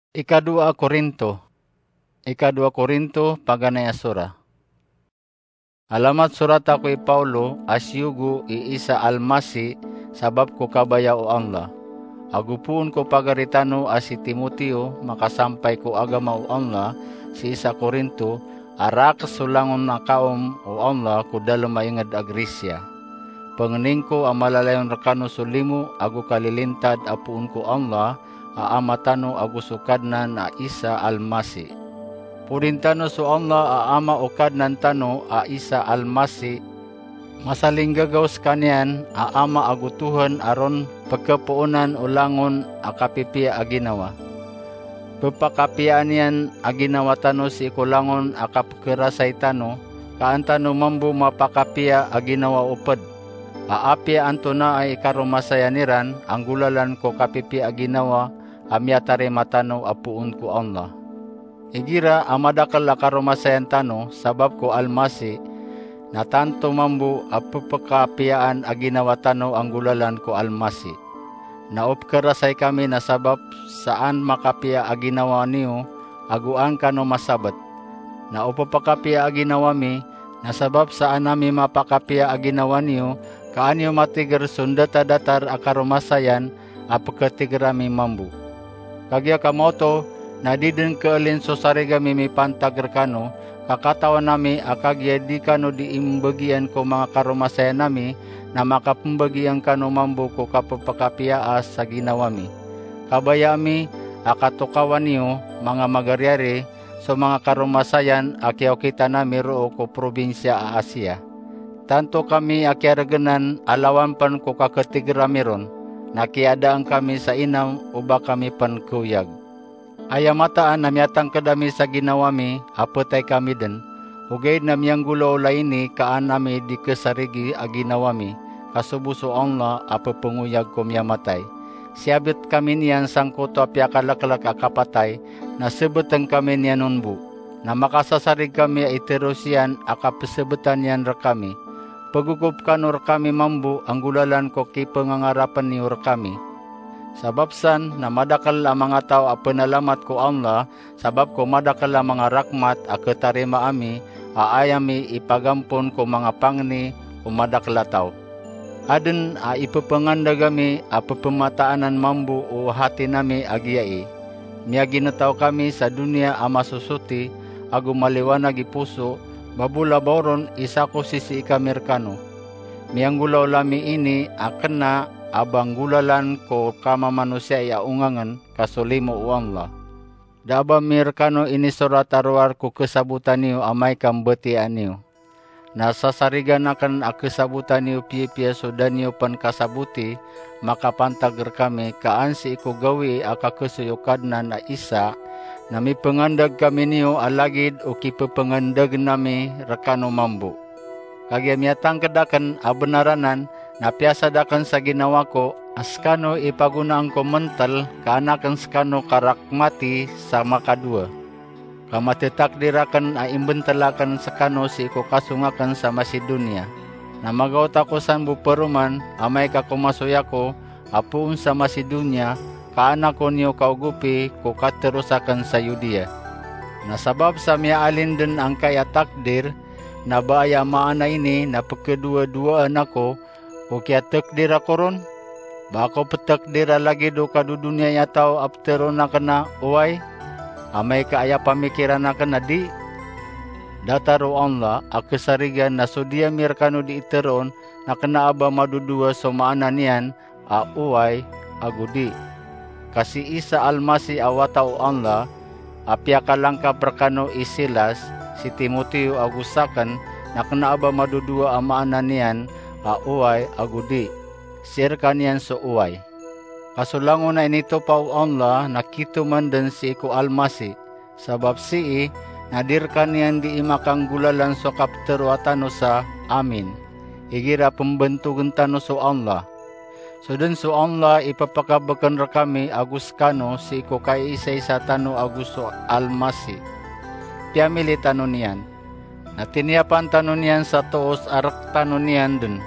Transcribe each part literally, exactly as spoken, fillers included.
Ikadowa a Korinto. Ikadowa a Korinto, paganay a sora. Alamat sorata ko i Paulo a siyogo i Isa Almasi sabap ko kabaya o Allah. Ago poon ko pagari tano a si Timoteo, makasampay ko agama o Allah, sii sa Korinto, a rakhs so langon a kaom o Allah ko dalem a inged a Grisia. Pengening ko a malalayon rekano so limo ago kalilintad a poon ko Allah a Ama tano ago so Kadnan a Isa Almasi. Porin tano so Allah a Ama o Kadnan tano a Isa Almasi, masalinggagaw sekaniyan a Ama ago Tohan a ron pekepoonan o langon a kapipiya a ginawa. Pepakapiyaan iyan a ginawa tano sii ko langon a kapekerasay tano, ka an tano mambo mapakapiya a ginawa o ped. A apiya antonaa i karomasayan iran a nggolalan ko kapipiya a ginawa a miyatarima tano a poon ko Allah. Igira a madakel a karomasayan tano sabap ko Almasi, na tanto mambo a pepakapiyaan a ginawa tano a nggolalan ko Almasi. Na o pekerasay kami na sabap sa an makapiya a ginawa niyo ago an kano masabet. Na o pepakapiya a ginawa mi na sabap sa an ami mapakapiya a ginawa niyo, ka an iyo matiger so ndatadatar a karomasayan a peketiger ami mambo. Kagiya kamaoto, na di den keelin so sarig ami mipantag rekano, ka katawan ami a kagiya di kano di imbagian ko manga karomasayan ami, na makapembagian kano mambo ko kapepakapiyaa sa ginawa mi. Kabaya ami a katokawan iyo, manga magariyari, so manga karomasayan a kiyaokitan ami roo ko probinsiya a Asia. Tanto kami a kiyaregenan a lawan pen ko kaketiger ami ron, na kiyadaan kami sa inam o ba kami pen keoyag. Aya mataan a miyatangked ami sa ginawa mi a petay kami den, ogaid na miyanggolaola ini ka an ami di kesarigi a ginawa mi, ka sobo so Allah a pepengoyag ko miyamatay. Siyabet kami niyan sangkoto a piyakaleklek a kapatay, na sebeten kami niyan on bo. Na makasasarig kami a iteros iyan a kapesebetan iyan rekami. Pegogop kano rekami mambo a nggolalan ko kipengangarapen iyo rekami. Sabap san na madakel a manga taw a penalamat ko Allah, sabap ko madakel a manga rakhmat a ketarima ami, a aya mi ipagampon ko manga pangni o madakel a taw. Aden a ipepengandeg ami a pepemataan mambo o hati nami a giyai. Miyaginetaw kami sa doniya a masosoti, ago maliwanag i poso, babolabaw ron i sako sisii kami rekano. Miyanggolaola mi ini a kena a ba nggolalan ko kamamanosiya a ongangen, ka so limo o Allah. Da a ba mi rekano inisorat a rowar ko kesabotan iyo amay ka mbetiyaan iyo. Na sasarigan aken a kesabotan iyo piyapiya so da niyo pen kasaboti makapantag rekami, ka an sii ko gawii a kakesoy o Kadnan a Isa, na mipengandeg kami niyo a lagid o kipepengandegen ami rekano mambo. Kagiya miyatangked aken a benar anan, na piyasad aken sa ginawa ko a sekano i pagonaan ko mentel ka an aken sekano karakhmati sa makadowa. Ka matetakdir aken a imbentel aken sekano sii ko kasong aken sa Macedonia. Na magaot ako san bo peroman amay ka komasoy ako a poon sa Macedonia, ka an ako niyo kaogopi ko kateros aken sa Judea. Na sabap sa miyaalin den angkai a takdir, na ba aya maana ini na pekedowadowaan ako ko kiyatakdir ako ron? Ba ako petakdir a lagid o kadodoniyai a taw a peteroon aken a oway, amay ka aya pamikiran aken a di? Datar o Allah a kesarigan na so di ami rekano di iteroon na kena a ba madodowa so maana niyan a oway ago di. Ka si Isa Almasi a wata o Allah, a piyakalangkap rekano i Silas, si Timoteo ago saken, na kena a ba madodowa a maana niyan a oway ago di. Sii rekaniyan so oway. Ka so langon a initopa o Allah na kitoman den sii ko Almasi, sabap sii na di rekaniyan dii makanggolalan so kapteroa tano sa amin, igira pembentogen tano so Allah. So den so Allah i pepakabeken rekami ago sekano sii ko kaiisaisa tano ago so Almasi. Piyamili tano niyan. Na tiniyapan tano niyan sa toos a rek tano niyan den.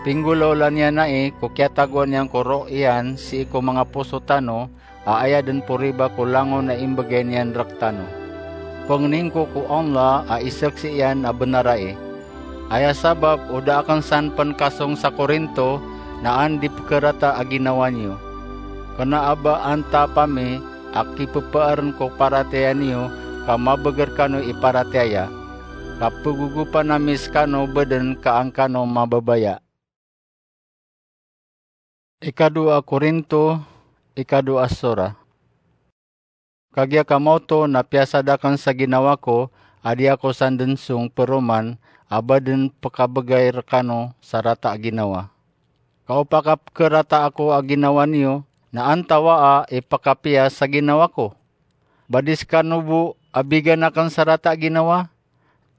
Pinggolaola niyan ai ko kiyatagoan iyan ko roo iyan sii ko manga poso tano, a aya dn po riba ko langon a imbgay niyan rktano. Pngnin ko ko Allah a isaksi iyan a bnar ai. Aya sabap o da akn san pn kasong sa Korinto na an di pkharata a ginawa niyo. Kna a ba antaa pami a kipphaarn ko paratiyaya niyo ka mabagr kano i paratiyaya, ka pgogopan ami skano badn ka an kano mababaya. Ikadowa Korinto, ikadowa a sora. Kagiya kamaoto na piyasad akn sa ginawa ko a di ako sandn song paroman a ba dn pkabgay rkano sa rata a ginawa. Ka o pakapkharata ako a ginawa niyo, na antawaa i pkapiya sa ginawa ko? Ba di skano bo a bigan akn sa rata a ginawa?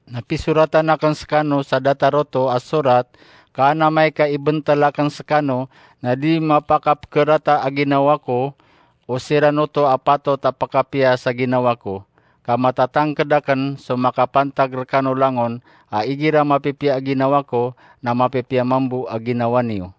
Na pisoratan akn skano sa datar oto a sorat, ka an amay ka ibntl akn skano na di mapakapkharata a ginawa ko, o siran oto a patot a pkapiya sa ginawa ko. Ka matatangkd akn so makapantag rkano langon a igira mapipiya a ginawa ko, na mapipiya mambo a ginawa niyo.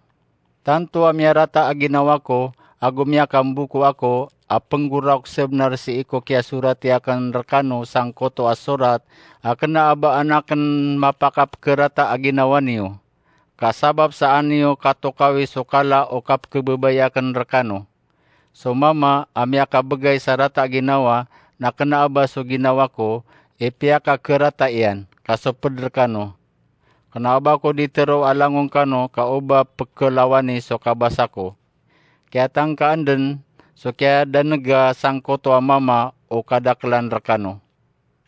Tanto a miyarata a ginawa ko, ago miyakamboko ako a pnggoraok sbnar sii ko kiyasorati akn rkano sangkoto a sorat, a kna a ba an akn mapakapkharata a ginawa niyo. Ka sabap sa an iyo katokawi so kala o kapkhababaya akn rkano. So Mama a miyakabgay sa rata a ginawa, na kna a ba so ginawa ko i piyakakharata iyan, ka so pd rkano. Kna a ba ko di tharoa langon kano ka o ba pkhalawani so kabasa ko. Kiyatangkaan dn so kiyadanega sangkoto a Mama o kadaklan rkano.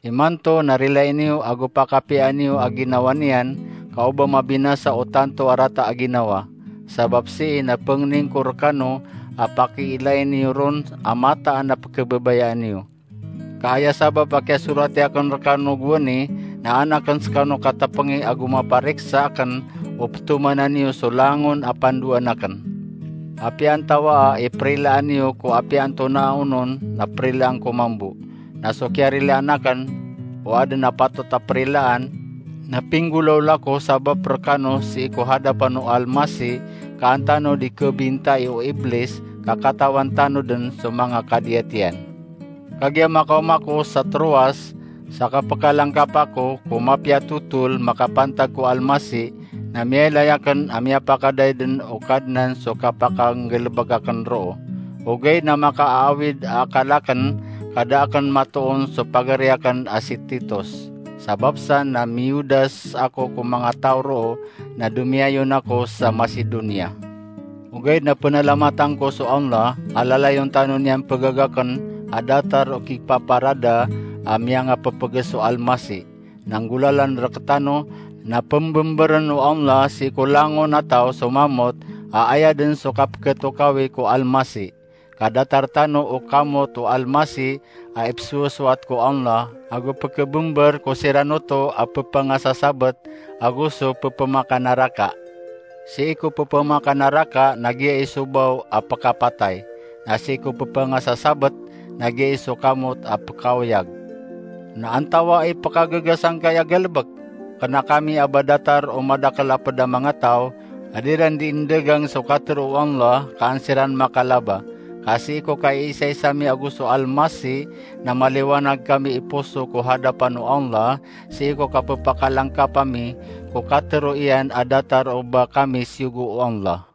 Imanto na rilai niyo ago pakapiyaan iyo a ginawa niyan, ka o ba mabinasa o tanto a rata a ginawa. Sabap sii na pngnin ko rkano a pakiilai niyo ron a mataan a pkhababayaan iyo. Ka aya sabap a kiyasorati akn rkano gowani na an akn skano katpngi ago mapariksa akn o ptomanan iyo so langon a pandoan akn. Apiya antawaa i prilaan iyo ko apiya antonaa onon na prilaan ko mambo. Na so kiyarilaan akn, o adn a patot a prilaan, na pinggolawla ko sabap rkano sii ko hadapan o Almasih, ka an tano di khabintai o Iblis, ka katawan tano dn so manga kadiyat iyan. Kagiya makaoma ako sa Troas, sa kapkalangkap ako ko mapiya a totol makapantag ko Almasih, na miyailay akn a miyapakadaydn o Kadnan so kapakanggalbk akn roo. Ogaid na makaawid a akal akn, ka da akn matoon so pagari akn a si Titus. Sabap san na miyodas ako ko manga taw roo, na domiyayon ako sa Macedonia. Ogaid na pnalamatan ko so Allah a lalayon tano niyan pgagakn a datar o kipaparada a miyangapphga so Almasih. Na nggolalan rktano na pmbmbrn o Allah sii ko langon a taw so mamot a aya dn so kapkhatokawi ko Almasih. Ka datar tano o kamot o Almasih a ipsowasoat ko Allah, ago pkhabmbr ko siran oto a pphangasasabt ago so ppmakanaraka. Sii ko ppmakanaraka na giyai so baw a pkapatay, na sii ko pphangasasabt na giyai so kamot a pkaoyag. Na antawaa i pkagaga sangkai a galbk? Kna kami a ba datar o madakl a pd a manga taw, a di ran di indagang so katharo o Allah, ka an siran makalaba. Ka sii ko kaiisaisa mi ago so Almasih, na maliwanag kami i poso ko hadapan o Allah, sii ko kappakalangkap ami ko katharo iyan a datar o ba kami siyogo o Allah.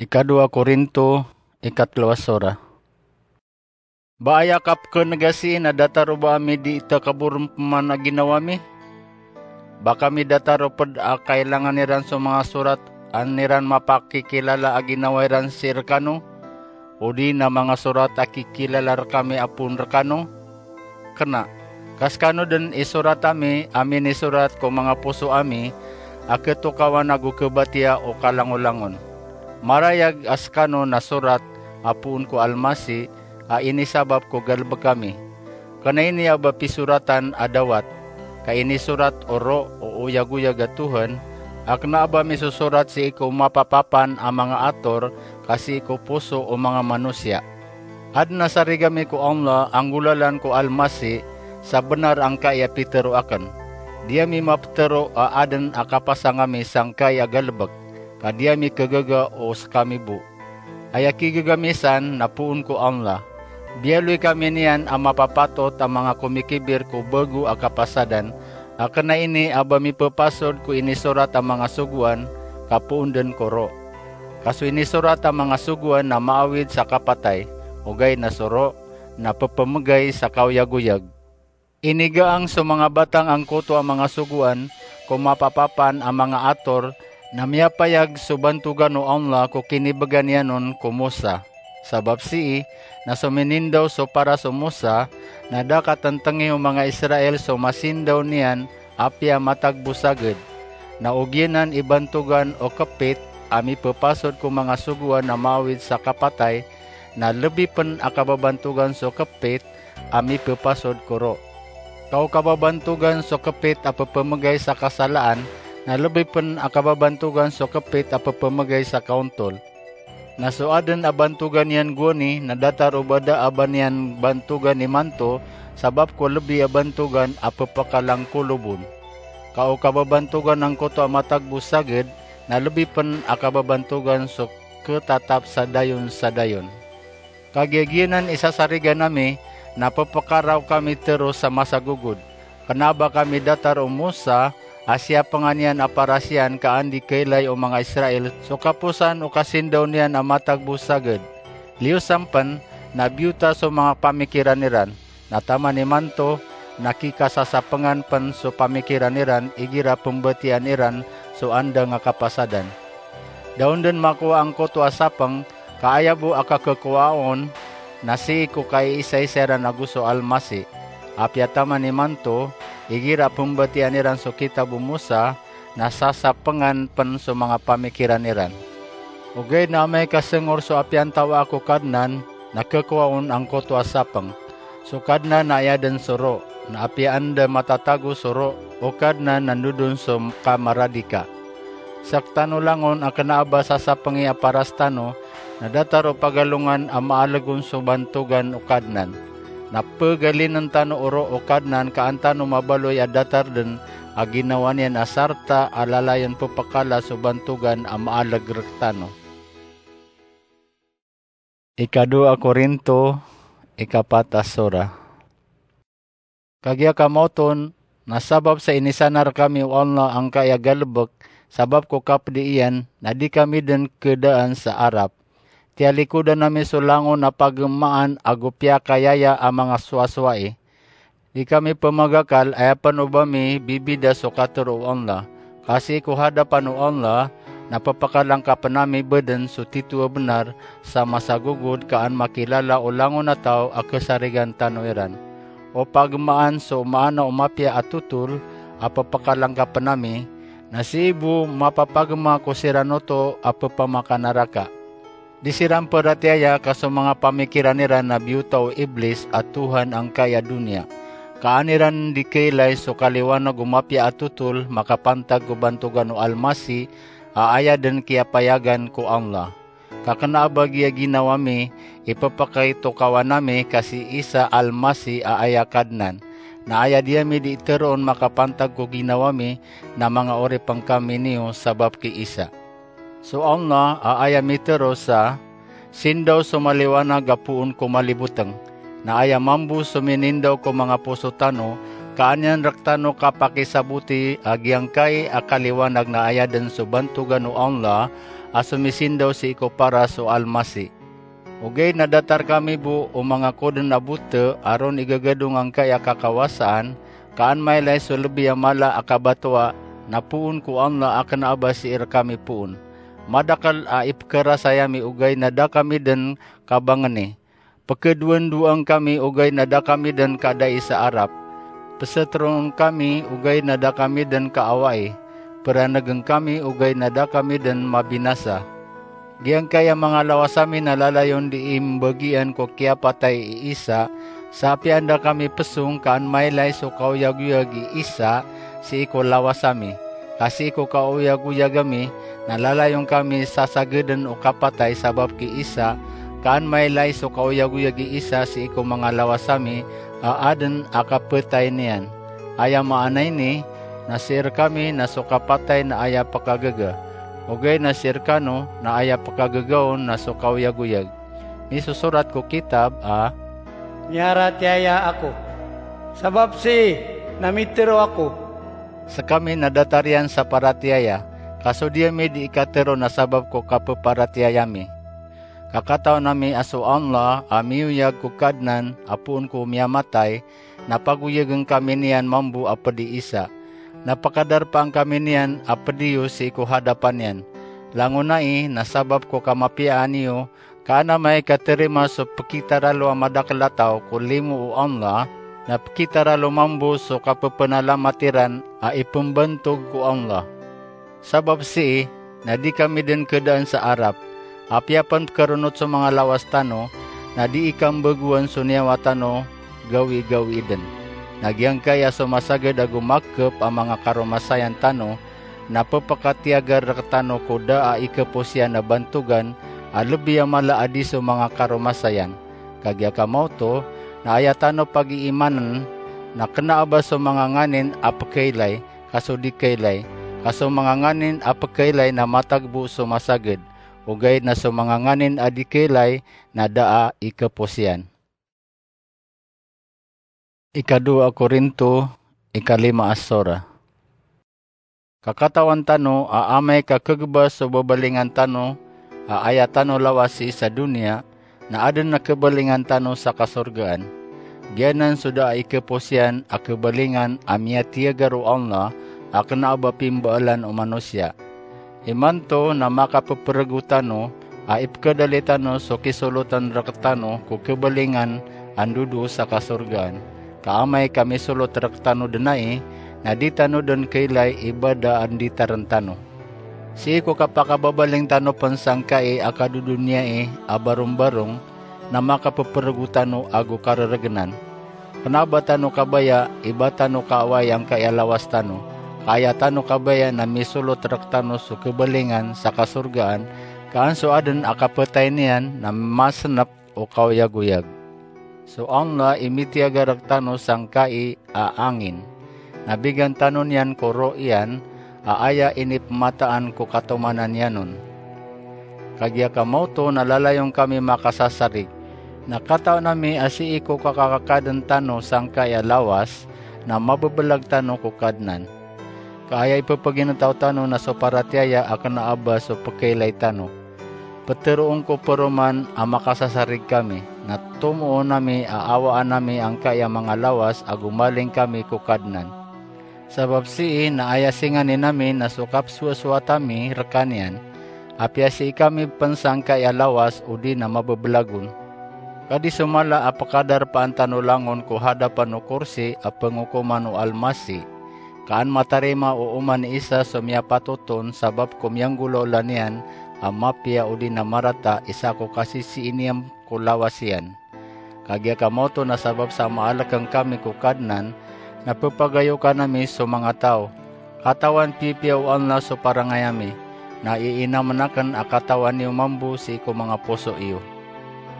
Ikadowa Korinto, ikatlo a sora. Ba aya kapkhanegasi na datar o ba ami di takabor pman a ginawa mi? Ba kami datar o pd a kailangan iran so manga sorat a an iran mapakikilala a ginawa iran sii rkano, odi na manga sorat a kikilala rkami a poon rkano? Kna, ka skano dn i sorat ami a minisorat ko manga poso ami a khatokawan ago khabatiya o kalangolangon. Marayag a skano na sorat a poon ko Almasih a inisabap ko galbk ami. Kna ini a ba pisoratan a dawat, ka inisorat o roo o oyagoyag a Tuhan, a kna a ba misosorat sii ko mapapapan a manga ator ka sii ko poso o manga manosiya. Adn a sarig ami ko Allah a nggolalan ko Almasih sa bnar angkai a pitharo akn. Di ami maptharo a adn a kapasang ami sangkai a galbk, ka di ami khagaga o skami bo. Aya kigegamisan na poon ko Allah. Biyaloy kami niyan a mapapatot a manga komikibir ko bago a kapasadan, a kena ini a ba mipepasod ko inisorat a manga sogoan, ka poon den ko ro. Ka so inisorat a manga sogoan na maawid sa kapatay, ogaid na so ro na pepemegay sa kaoyagoyag. Inigaang so manga batang angkoto a manga sogoan ko mapapapan a manga ator, na miyapayag so bantogan o Allah ko kinibegan iyan on ko Musa. Sabap sii, na so minindaw so paras o Musa, na da katentengi o manga Israel so masindaw niyan apiya matagbo saged. Na ogiyanan i bantogan o kepit a mipepasod ko manga sogoan a maawid sa kapatay, na lebi pen a kababantogan so kepit a mipepasod ko ro. Ka o kababantogan so kepit a pepemegay sa kasalaan, na lebi pen a kababantogan so kepit a pepemegay sa kaontol. Na so aden a bantogan iyan gowani na datar o ba da a ba niyan bantogan imanto, sabap ko lebi a bantogan a pepekalangkolobon. Ka o kababantogan angkoto a matagbo saged, na lebi pen a kababantogan so ketatap sa dayon sa dayon. Kagiya giyanan i sasarigan ami, na pepekaraw kami tero sa masagogod. Kena a ba kami datar o Musa a siyapengan iyan a paras iyan, ka an di kailay o manga Israel so kaposan o kasindaw niyan a matagbo saged. Liyo sampen, na biyota so manga pamikiran iran, na taman imanto, na kikasasapengan pen so pamikiran iran igira pembatiyan iran so andang a kapasadan. Da on den makowa angkoto a sapeng, ka aya bo a kakekowa on na sii ko kaiisaisa iran ago so Almasi. Apiya taman imanto, igira pembatiyan iran so kitab o Musa, na sasapengan pen so manga pamikiran iran. Ogaid na amay ka sengor so apiya antawa ko Kadnan, na kekowa on angkoto a sapeng. So Kadnan na aya den so ro, na apiya anda matatago so ro o Kadnan na ndodon so kamaradika. Sektano langon a kena a ba sasapengi a paras tano, na datar o pagalongan a maaleg on so bantogan o Kadnan. Na pegalinen tano o ro o Kadnan, ka an tano mabaloy a datar den a ginawa niyan a sarta a lalayon pepekala so bantogan a maaleg rektano. Ikadowa a Korinto, ikapat a sora. Kagiya kamaoton, na sabap sa inisanar kami o Allah angkai a galebek, sabap ko kapedi iyan, na di kami den kedaan sa arap. Tiyalikodan ami so langon a pagemaan ago piyakayaya a manga sowasowai. Di kami pemagakal, aya pen o ba mi bibida so katero o Allah. Ka sii ko hadapan o Allah, na pepekalangkapen ami bo den so tito a benar sa masagogod, ka an makilala o langon a taw a kesarigan tano iran. O pagemaan so maana o mapiya a totol a pepekalangkapen ami, na sii bo mapapagema ko siran oto a pepamakanaraka. Di siran peratiyaya ka so manga pamikiran iran na biyota o Iblis a tohan angkai a doniya. Ka an iran di kailay so kaliwanag o mapiya a totol makapantag ko bantogan o Almasi a aya den kiyapayagan ko Allah. Ka kena a ba giya ginawa mi, ipepakaitokawan ami ka si Isa Almasi a aya Kadnan. Na aya di ami di teroon makapantag ko ginawa mi, na manga oripen kami niyo sabap ki Isa. So Allah a aya mitero sa, sindaw so maliwanag a poon ko maliboteng. Na aya mambo so minindaw ko manga poso tano, ka an iyan rektano kapakisaboti a giyangkai a kaliwanag na aya den so bantogan o Allah a somisindaw sii ko paras o Almasi. Ogaid na datar kami bo o manga koden a bote a ron igagadong angkai a kakawasaan, ka an mailay so lebi a mala a kabatoa na poon ko Allah a kena a ba sii rekami poon. Madakel a ipekerasay ami ogaid na da kami den kabangeni. Pekedowandoang kami ogaid na da kami den kadai sa arap. Peseteroon kami ogaid na da kami den kaawai. Peranegen kami ogaid na da kami den mabinasa. Giyangkai a manga lawas ami na lalayon di imbagian ko kiyapatay i Isa, sa apiya anda kami pesong ka an mailay so kaoyagoyag i Isa sii ko lawas ami. Ka sii ko kaoyagoyag ami na lalayon kami sasageden o kapatay sabap ki Isa, ka an mailay so kaoyagoyag i Isa sii ko manga lawas ami a aden a kapetay niyan. Aya maana ini na sii rekami na so kapatay na aya pekagaga. Ogaid na sii rkano na aya pkagaga on na so kaoyagoyag. Misosorat ko kitab a, "Miyaratiyaya ako. Sabap sii na mitharo ako." Skami na datar iyan sa paratiyaya, ka so di ami di ikatharo na sabap ko kappharatiyaya mi. Ka katawan ami a so Allah a miyoyag ko Kadnan a poon ko miyamatay, na pagoyagn kami niyan mambo a pd i Isa. Na pkadarpaan kami niyan a pd iyo sii ko hadapan iyan. Langon ai na sabap ko kamapiyaan iyo, ka an amay ka tharima so pkitaralo a madakl a taw ko limo o Allah, na pkitaralo mambo so kapphanalamati ran a ipmbantog ko Allah. Sabap sii na di kami dn khadaan sa arap. Apiya pn pkharonot so manga lawas tano, na di ikambagowan so niyawa tano gawigawii dn. Na giyangkaya so masagad ago makhp a manga karomasayan tano, na pphakatiyagar rktano ko da a ikapos iyan a bantogan a lbi a mala a di so manga karomasayan. Kagiya ka maoto, na aya tano pagiimann, na kna a ba so manga nganin a pkhailay, ka so di khailay, ka so manga nganin a pkhailay na matagbo so masagad, ogaid na so manga nganin a di khailay na da a ikapos iyan. Ikadowa a Korinto, ikalima a sora. Ka katawan tano a amay ka khagbas so babalingan tano a aya tano lawas sii sa doniya, na adn a khabalingan tano sa kasorgaan. Giyanan so da a ikapos iyan a khabalingan a miyatiyagar o Allah a kna a ba pimbaalan o manosiya. Imanto na makapprgo tano a ipkhadali tano so kisolotn rktano ko khabalingan a ndodoo sa kasorgaan. Ka amay ka misolot rktano dn ai, na di tano dn khailay i ba da a nditarn tano. Sii ko kapakababaling tano pn sangkai a kadodoniyai a barombarong, na makapprgo tano ago karrgnan. Kna a ba tano kabaya i ba tano kaawai angkai a lawas tano, ka aya tano kabaya na misolot rktano so khabalingan sa kasorgaan, ka an so adn a kapatay niyan na masnp o kaoyagoyag. So Allah i mitiyagar rktano sangkai a angin, na bigan tano niyan ko roh iyan a aya inipmataan ko katomanan iyan on. Kagiya ka maoto na lalayon kami makasasarig, na katawan ami a sii ko kakakadn tano sangkai a lawas na mabablag tano ko Kadnan. Ka aya ippagintaw tano na so paratiyaya a kna a ba so pkhailay tano. Ptharoon ko paroman a makasasarig kami, na tomoon ami a awaan ami angkai a manga lawas a gomaling kami ko Kadnan. Sabap sii na aya singanin ami na so kapsowasoat ami rkaniyan, apiya sii kami pn sangkai a lawas odi na mabablag on. Ka di so mala a pkadarpaan tano langon ko hadapan o korsi a pngokoman o Almasih, ka an matarima o oman i isa so miyapatot on sabap ko miyanggolawla niyan a mapiya odi na marata isa ko kasisii niyan ko lawas iyan. Kagiya ka maoto na sabap sa maalkng kami ko Kadnan, na ppagayokan ami so manga taw. Katawan piyapiya o Allah so parangay ami, na iinamn akn a katawan iyo mambo sii ko manga poso iyo.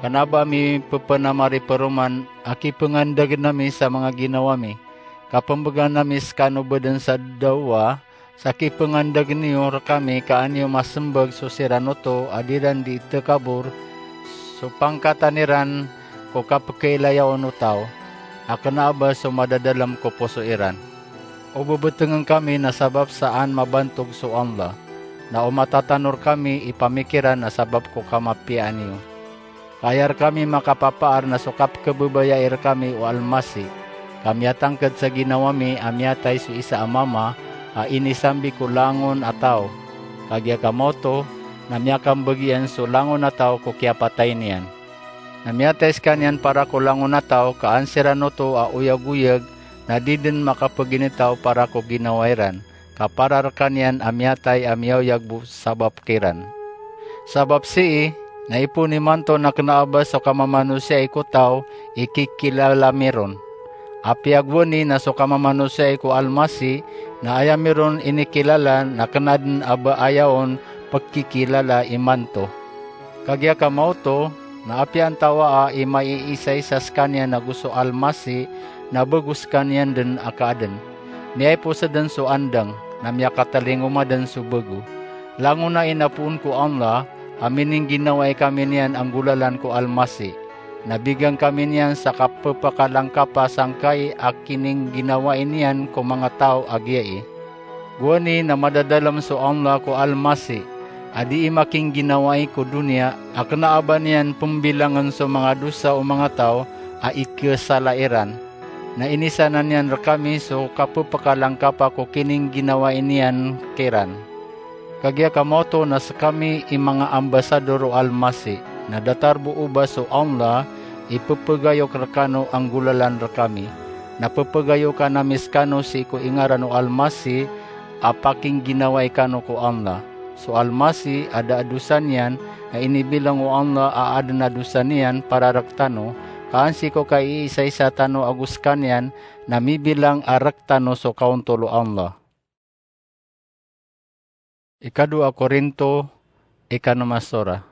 Kna a ba ami ppnamariparoman a kipngandagn ami sa manga ginawa mi, ka pmbgan ami skano bdn sa dawa, sa kipngandagn iyo rkami ka an iyo masmbag so siran oto a di ran di itkabor so pangkatan iran ko kapkhailaya on o taw, a kna a ba so madadalm ko poso iran. O bbtngn kami na sabap sa an mabantog so Allah, na o matatano rkami i pamikiran na sabap ko kamapiyaan iyo. Ka aya rkami makapapaar na so kapkhababayai rkami o Almasih, ka miyatangkd sa ginawa mi a miyatay so isa a mama a inisambi ko langon a taw. Kagiya ka maoto, na miyakambagi iyan so langon a taw ko kiyapatay niyan. Na miyatay skaniyan para ko langon a taw, ka an siran oto a oyagoyag na di dn makapagintaw para ko ginawa iran, ka para rkaniyan a miyatay a miyaoyag bo sabap kiran. Sabap sii, na ipoon imanto na kna a ba so kamamanosiya i ko taw i kikilala mi ron. Apiya gowani na so kamamanosiya i ko Almasih, na aya mi ron inikilala na kna dn a ba aya on pkikilala imanto. Kagiya ka maoto, na apiya antawaa i maiisaisa skaniyan ago so Almasih, na bago skaniyan dn a kaadn. Miyaipos dn so andang, na miyakatalingoma dn so bago. Langon a inapoon ko Allah a miningginawai kami niyan a nggolalan ko Almasih, na bigan kami niyan sa kapepakalangkapa sangkai a kiningginawai niyan ko manga taw a giyai. Gowani na madadalem so Allah ko Almasih a dii makingginawai ko doniya a kena a ba niyan pembilangen so manga dosa o manga taw a ikesala iran, na inisanan iyan rekami so kapepakalangkapa ko kiningginawai niyan kiran. Kagiya ka maoto na sekami i manga ambasador o Almasih, na datar bo o ba so Allah i pepegayok rekano a nggolalan rekami, na pepegayokan ami sekano sii ko ingaran o Almasih a pakingginawai kano ko Allah. So Almasih a da a dosa niyan, na inibilang o Allah a aden a dosa niyan para rektano, ka an sii ko kaiisaisa tano ago sekaniyan, na mibilang a rektano so kaontol o Allah. Ikadowa Korinto, ikanom a sora.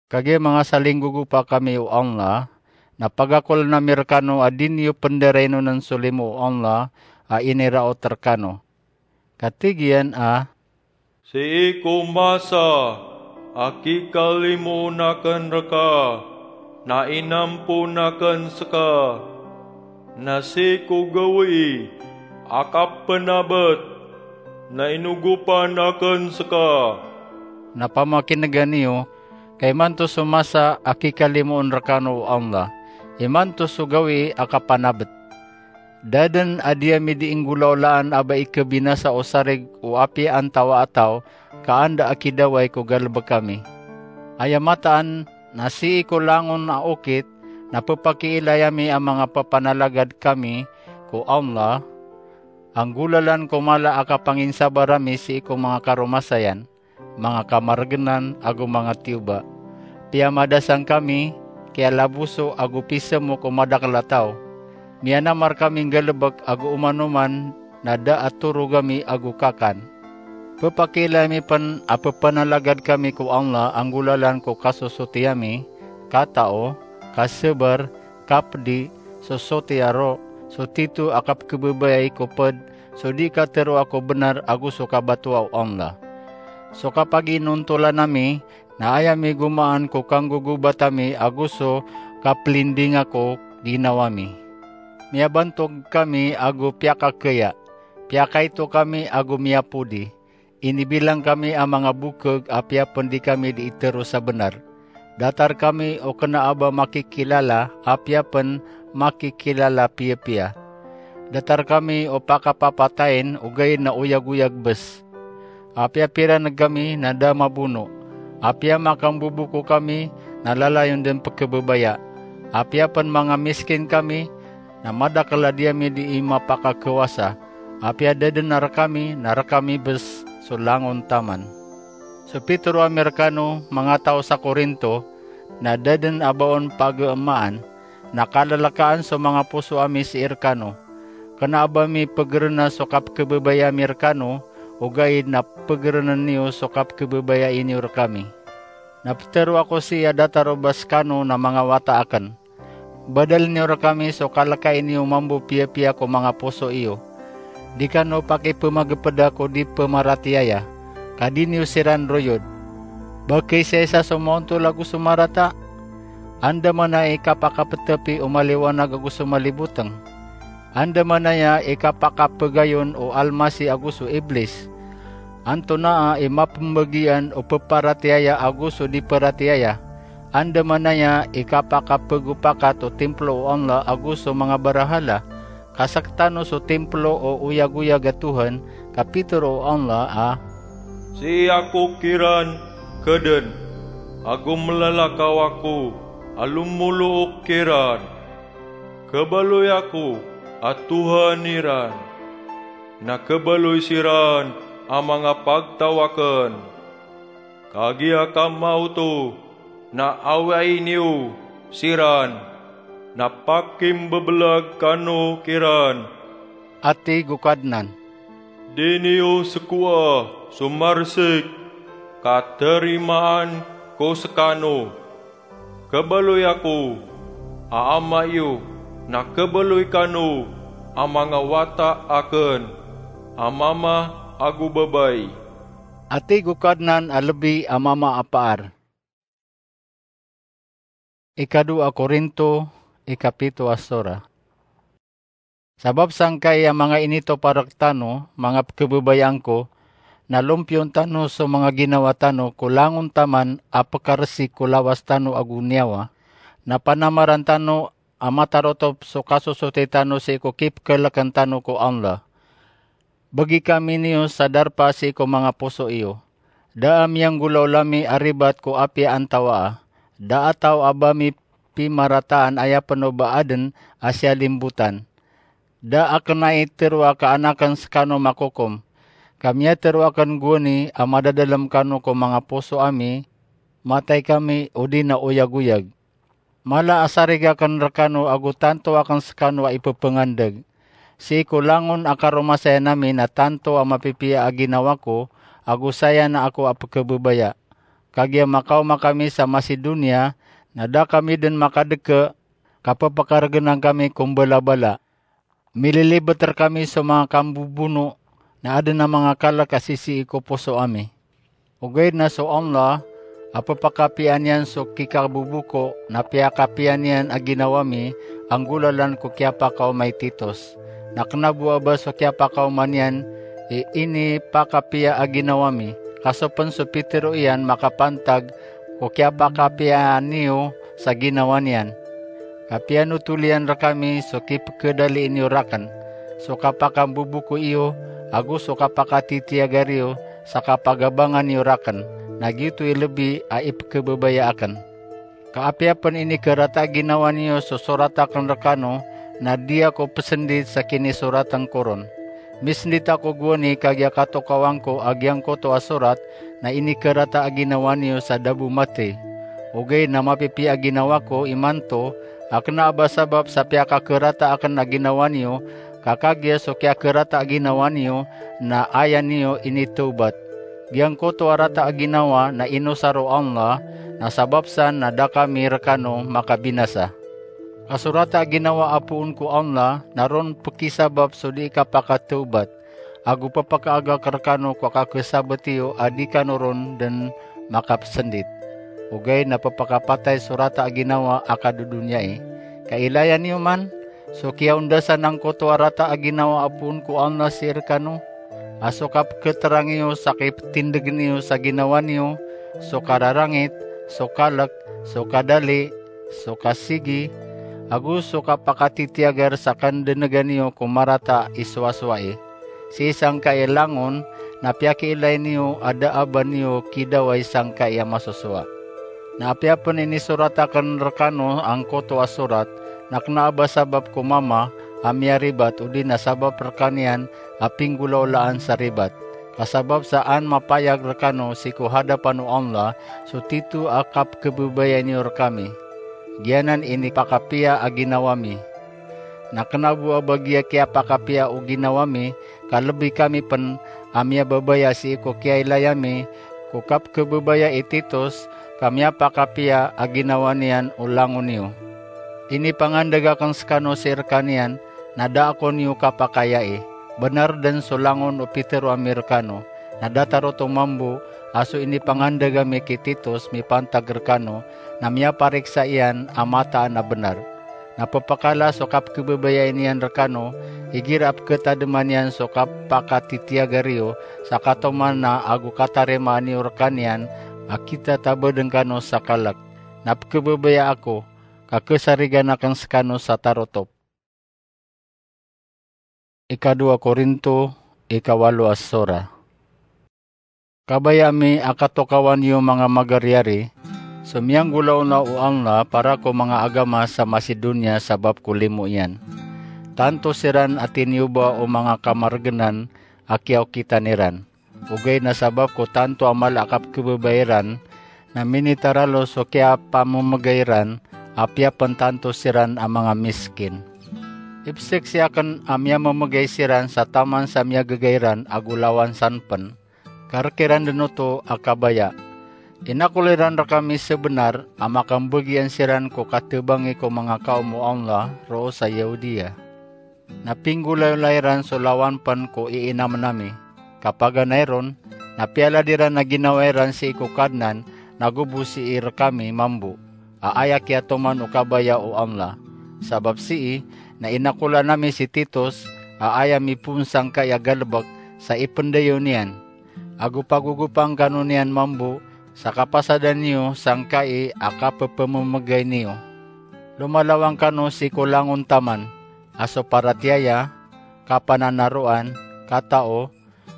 Kagiya manga salinggogopa kami o Allah, na pagakolen ami rekano a di niyo pendarainonen so limo o Allah a iniraot rekano. Ka tig iyan a, sii ko masa a kikalimoon aken reka, na inampoon aken seka, na sii ko gawii a kapenabet, na inogopan aken seka. Na pamakinegan iyo, ka imanto so masa a kikalimoon rekano o Allah, imanto so gawii a kapanabet. Da den a di ami dii nggolaolaan a ba ikebinasa o sarig o apiya antawaa taw, ka anda a kidawai ko galebek ami. Aya mataan na sii ko langon a okit na pepakiilay ami a manga pepanalagad kami ko Allah a nggolalan ko mala a kapanginsabar ami sii ko manga karomasayan, manga kamaregenan ago manga tiyoba. Piyamadasang kami, kiyalaboso ago pisemok o madakel a taw. Miyanamar kami nggalebek ago oman-oman na da a torog ami ago kakan. Pepakiilay ami pen a pepanalagad kami ko Allah a nggolalan ko kasosoti ami, katao, kasabar, kapedi, so soti a ro, so tito a kapekhebabayai ko ped, so di kateroa ko benar ago so kabatoa o Allah. So kapaginontolan ami na aya migomaan ko kanggogobat ami ago so kapelindinga ko ginawa mi. Miyabantog kami ago piyakakheya, piyakaito kami ago miyapodi. Inibilang kami a manga bokeg apiya pen di kami dii tero sa benar. Datar kami o kena a ba makikilala apiya pen makikilala piyapiya. Datar kami o pakapapatayin ogaid na oyagoyag bes. Apiya piraneg kami na da mabono. Apiya makamboboko kami na lalayon den pekebebaya. Apiya pen manga miskin kami na madakel a di ami dii mapakakewasa. Apiya da den a rekami na rekami bes so langon taman. So pitero ami rekano, manga taw sa Korinto, na da den a ba on pageemaan, na kalelekaan so manga poso ami sii rekano. Kena a ba mi pegerena so kapekebebaya mi rekano, ogaid na pegerenen iyo so kapekebebaya iniyo rekami. Na petero ako sii a datar o ba sekano na manga wata aken. Badalen iyo rekami so kalekai niyo mambo piyapiya ko manga poso iyo. Di kano pakipemagepeda ko di pemaratiyaya, ka di niyo siran royod. Ba keisaisa so maontol ago so marata? Andamanaya i kapakapetepi o maliwanag ago so maliboteng? Andamanaya i kapakapegayon o Almasih ago so Iblis? Antonaa i mapembagian o peparatiyaya ago so di paratiyaya? Andamanaya i kapakapegopakat o timplo o Allah ago so manga barahala? Ka sektano so timplo o oyagoyag a Tohan, ka pitero o Allah a, sii ako kiran keden, ago melalakaw ako a lomolook kiran. Kebaloy ako a Tohan iran, na kebaloy siran a manga pagtaw aken. Kagiya ka maoto na awai niyo siran, na pakimbebelag kano kiran. A tig o Kadnan, di niyo sekoa so marsik ka tarimaan ko sekano. Kebaloy ako a Ama iyo, na kebaloy kano a manga wata aken a mama ago babay. Atig o Kadnan a lebi a mama a paar. Ikadowa Korinto, ikapito a sora. Sabap sangkai a manga initopa rektano, manga pekebebayaan ko, na lompiyon tano so manga ginawa tano ko langon taman a pekaresik ko lawas tano ago niyawa, na panamaran tano a matarotop so kasosoti tano sii ko kipekeleken tano ko Allah. Begi kami niyo sa darpa sii ko manga poso iyo. Da a miyanggolawla mi a ribat ko apiya antawaa. Da a taw a ba mi pimarataan aya peno ba aden a siyalimbotan. Da a kena i teroa ka an aken sekano makokom. Ka miyatero aken gowani a madadalem kano ko manga poso ami, matay kami odi na oyagoyag. Mala a sarig aken rekano ago tanto aken sekano a ipepengandeg. Sii ko langon a karomasayan ami na tanto a mapipiya a ginawa ko, ago saya na ako a pekebebaya. Kagiya makaoma kami sa Macedonia, na da kami den makadeke, ka pepekaregenan kami ko mbalabala. Mililibet rekami so manga kambobono, na aden a manga kalek a sisii ko poso ami. Ogaid na so Allah a pepakapiyaan iyan so kikabobo ko, na piyakapiyaan iyan a ginawa mi a nggolalan ko kiyapakaoma i Titos. Na kena bo a ba so kiyapakaoma niyan i inipakapiya a ginawa mi, ka so pen so pitero iyan makapantag ko kiyapakapiyaan iyo sa ginawa niyan. Ka piyanotol iyan rekami so kipekedalii niyo raken, so kapakambobo ko iyo, ago so kapakatitiyagar iyo sa kapagabangan iyo raken, na giyoto i lebi a ipekebebaya aken. Ka apiya pen inikerata a ginawa niyo so sorat aken rekano, na di ako pesendit sa kinisoraten ko ron. Misendit ako gowani kagiya katokawan ko a giyangkoto a sorat na inikerata a ginawa niyo sa da bo matey. Ogaid na mapipiya a ginawa ko imanto, a kena a ba sabap sa piyakakerata aken a ginawa niyo, ka kagiya so kiyakerata a ginawa niyo na aya niyo initawbat. Giyangkoto a rata a ginawa na inosar o Allah, na sabap san na da kami rekano makabinasa. Ka so rata a ginawa a poon ko Allah na ron pekisabap so di kapakatawbat, ago pepekaagak rekano ko kakesabet iyo a di kano ron den makapesendit. Ogaid na pepekapatay so rata a ginawa a kadodoniyai. Ka ilaya niyo man so kiyaondasan angkoto a rata a ginawa a poon ko Allah sii rekano, a so kapeketerang iyo sa kipetindegen iyo sa ginawa niyo, so kararangit, so kalek, so kadali, so kasigi, ago so kapakatitiyagar sa kandenegan iyo ko marata i sowasowai. Sii sangkai langon na piyakiilay niyo a da a ba niyo kidawai sangkai a masosowa. Na apiya pen inisorat aken rekano angkoto a sorat, na kena a ba sabap ko mama a miyaribat odi na sabap rekaniyan a pinggolawlaan sa ribat. Ka sabap sa an mapayag rekano sii ko hadapan o Allah so tito a kapekebebaya niyo rekami. Giyanan i inipakapiya a ginawa mi. Na kena bo a ba giya kiyapakapiya o ginawa mi, ka lebi kami pen a miyababaya sii ko kiyailaya mi ko kapekebebaya i Titos, ka miyapakapiya a ginawa niyan o langon iyo. Inipangandeg aken sekano sii rekaniyan, na da ako niyo kapakayai. Benar den so langon o pitero ami rekano, na datar oto mambo a so inipangandeg ami ki Titos mipantag rekano, na miyapariksa iyan a mataan a benar. Na pepekala so kapekebebaya niyan rekano, igira a peketademan iyan so kapakatitiyagar iyo, sa katoman na ago katarimaan iyo rekaniyan a kitatabeden kano sa kalek. Na pekebebaya ako, ka kesarigan aken sekano sa tarotop. Ikadowa Korinto, ikawalo a sora. Kabaya mi a katokawan iyo manga magariyari, so miyanggolawla o Allah para ko manga agama sa Macedonia sabap ko limo iyan. Tanto siran a tiniyoba o manga kamargenan a kiyaokitan iran. Ogaid na sabap ko tanto a mala a kapekebebaya iran, na minitaralo so kiyapamemegay iran, apiya pen tanto siran a manga miskin. Ipesek si aken a miyamemegay siran sa taman sa miyagegay iran ago lawan san pen. Ka rek iran den oto a kabaya. Inakol iran rekami sebenar a makambegian siran ko katebangi ko manga kaom o Allah roo sa Yahudiya. Na pinggolayola iran so lawan pen ko iinamen ami. Ka paganay ron, Na piyalad iran a ginawa iran sii ko Kadnan, nago bo sii rkami mambo, a aya kiyatoman o kabaya o Allah. Sabap sii, na inakolan ami si Titus, a aya mipoon sangkai a galbk, sa ipndayaw niyan. Ago pagogopan kano niyan mambo sa kapasadan iyo sangkai a kapphamamgay niyo. Lomalawan kano sii ko langon taman, a so paratiyaya, kapananaroan, katao,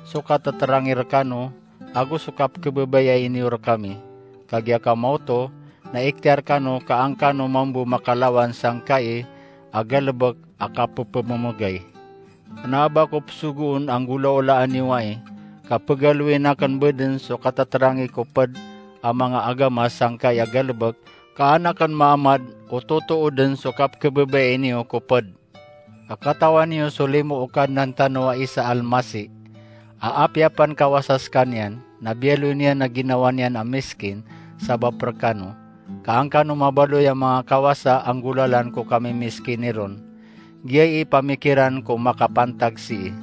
so katatrangay rkano, ago so kapkhababayai niyo rkami. Kagiya ka maoto, na ikhtiyar kano ka an kano mambo makalawan sangkai a galbk a kapphamamgay. Kna a ba ko psogoon a nggolaolaan iyo ai, ka pgaloyin akn bdn so katatrangay ko pd a manga agama sangkai a galbk, ka an akn maamad o totoo dn so kapkhababayai niyo ko pd. Ka katawan iyo so limo o Kadnan tano a isa Almasih, a apiya pn kawasa skaniyan, na biyaloy niyan a ginawa niyan a miskin sabap rkano, ka an kano mabaloy a manga kawasa a nggolalan ko kamimiskini ron. Giyai i pamikiran ko makapantag sii.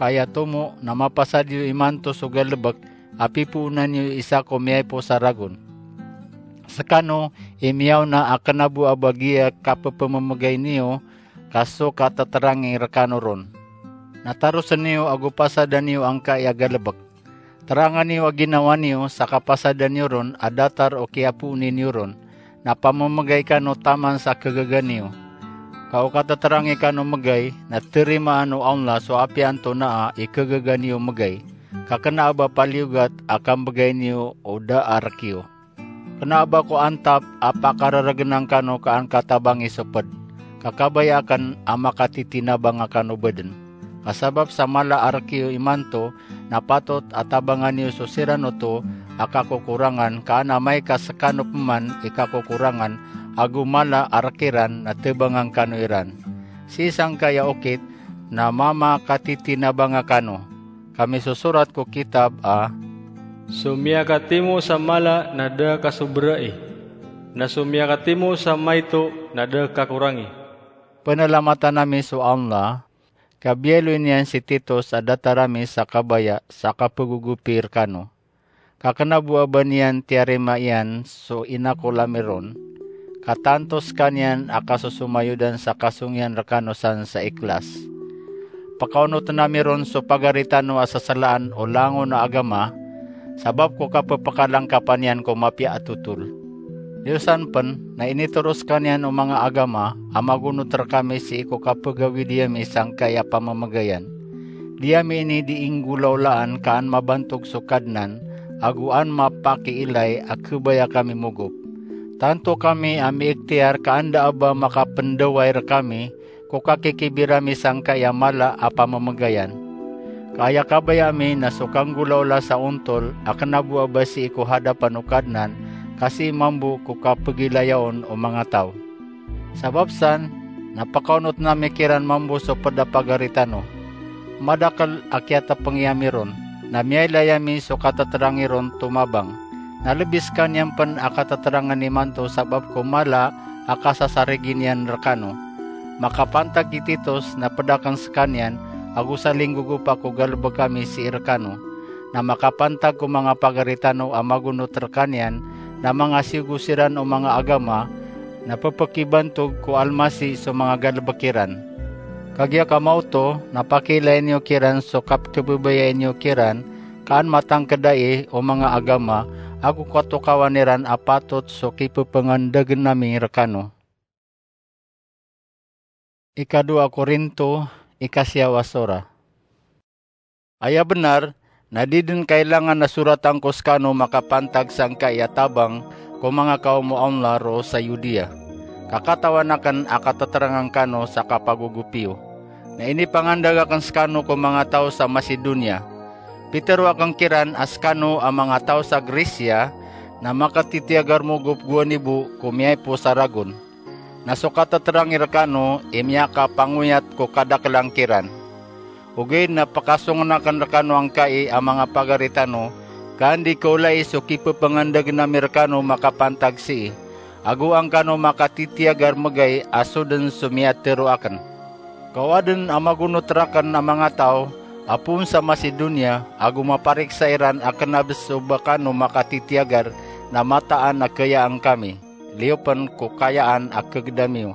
Ka aya tomo na mapasad iyo imanto so galbk a pipoonan iyo isa ko miyaipo sa ragon. Skano i miyaona a kna bo a ba giya kapphamamgay niyo ka so katatrangay rkano ron. Na tarosn iyo ago pasadan iyo angkai a galbk. Tranga niyo a ginawa niyo sa kapasadan iyo ron a datar o kiyapooni niyo ron, na pamamgay kano taman sa khagaga niyo. Ka o katatrangay kano mgay, na tarimaan o Allah so apiya antonaa i khagaga niyo mgay, ka kna a ba paliyogat a kambgay niyo o da a rk iyo. Kna a ba ko antap a pakararagnan kano ka an katabangi so pd, ka kabaya akn a makatitinabanga kano bdn. Ka sabap sa mala a rk iyo imanto, na patot a tabangan iyo so siran oto a kakokorangan, ka an amay ka skano pman i kakokorangan, ago mala a rk iran na tabangan kano iran. Sii sangkai a okit na mamakatitinabanga kano. Ka misosorat ko kitab a, so miyakatimo sa mala na da kasobrai, na so miyakatimo sa maito na da kakorangi. Pnalamatan ami so Allah, ka biyaloy niyan si Titus a datar ami sa kabaya sa kapagogopi rkano. Ka kna bo a ba niyan tiyarima iyan so inakol ami ron, ka tanto skaniyan a kasosomayodan sa kasong iyan rkano san sa ikhlas. Pkaonotn ami ron so pagari tano a sasalaan o langon a agama, sabap ko kapphakalangkapan iyan ko mapiya a totol. Liyo san pn, na initoro skaniyan o manga agama a magonot rkami sii ko kapagawidi ami sangkai a pamamgayan. Di ami ini dii nggolaolaan ka an mabantog so Kadnan, ago an mapakiilay a khabaya kami mogop. Tanto kami a miikhtiyar ka an da a ba makapndaway rkami ko kakikibir ami sangkai a mala a pamamgayan. Ka aya kabaya ami na so kanggolaola sa ontol a kna bo a ba sii ko hadapan o Kadnan, ka sii mambo ko kapagilayaon o manga taw. Sabap san, na pkaonotn ami kiran mambo so pd a pagari tano. Madakl a kiyatapangi ami ron, na miyailay ami so katatrangay ron tomabang. Na lbi skaniyan pn a katatrangn imanto sabap ko mala a kasasarigi niyan rkano. Makapantag i Titus na pd akn skaniyan, ago salinggogopa ko galbk ami sii rkano. Na makapantag ko manga pagari tano a magonot rkaniyan, na manga siyogo siran o manga agama, na pphakibantog ko Almasih so manga galbk iran. Kagiya ka maoto, na pakiilayin iyo kiran so kapkhababayai niyo kiran, ka an matangkd ai o manga agama, ago katokawan iran a patot so kipphangandagn ami rkano. Ikadowa Korinto, ikasiyaw a sora. Aya bnar, na di dn kailangan a soratan ko skano makapantag sangkai a tabang ko manga kaom o Allah roo sa Yudiya. Ka katawan akn a katatrangn kano sa kapagogopi iyo. Na inipangandag akn skano ko manga taw sa Macedonia. Pitharo akn kiran a skano a manga taw sa Grisia na makatitiyagar mogop gowani bo ko miyaipo sa ragon. Na so katatrangay rkano i miyakapangoyat ko kadaklan kiran. Ogaid na pkasongn akn rkano angkai a manga pagari tano, ka an di kaolai so kipphangandagn ami rkano makapantag sii, ago an kano makatitiyagar mgay a so dn so miyatharo akn. Ka o adn a magonot rakn a manga taw a poon sa Macedonia, ago mapariksa iran a kena bes o ba kano makatitiyagar na mataan a kayaan kami, liyo pen ko kayaan a kegedam iyo,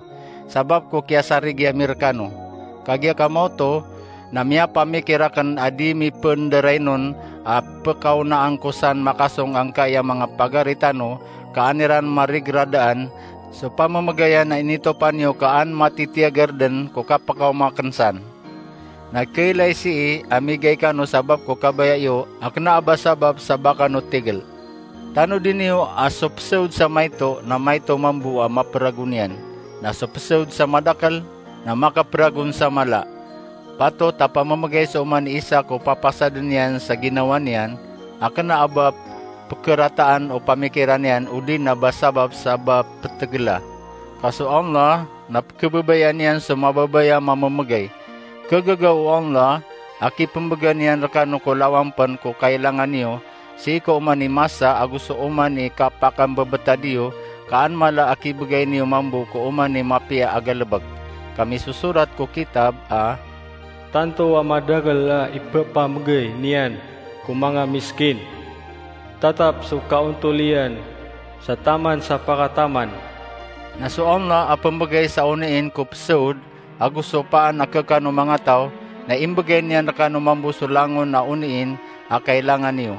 sabap ko kiyasarigiya mi rekano. Kagiya kamaoto, na miyapamikir aken a di mi pen derainon a pekaonaan ko san makasong angkaya manga pagari tano, ka an iran marigeradaan so pamemegayan a initopan iyo ka an matitiyagar den ko kapekaoma aken san. Na kailay sii a migay kano sabap ko kabaya iyo a kena a ba sabap sa ba kano tigel. Tanodi niyo a so pesaod sa maito na maito mambo a maperagon iyan, na so pesaod sa madakel na makaperagon sa mala. Patot a pamemegay so oman i isa ko papasaden iyan sa ginawa niyan a kena a ba pekerataan o pamikiran iyan odi na ba sabap sa ba petegela. Ka so Allah na pekebabayaan iyan so mababaya a mamemegay. Kegaga o Allah a kipembegan iyan rekano ko lawan pen ko kailangan iyo sii ko oman i masa ago so oman i kapakambebetad iyo, ka an mala a kibegay niyo mambo ko oman i mapiya a galebek. Ka misosorat ko kitab a, tanto a madakel a ipepamegay niyan ko manga miskin, tatap so kaontol iyan sa taman sa pakataman. Na so Allah a pembegay sa oniin ko pesaod ago so paan a kekano manga taw, na imbegay niyan rekano mambo so langon a oniin a kailangan iyo.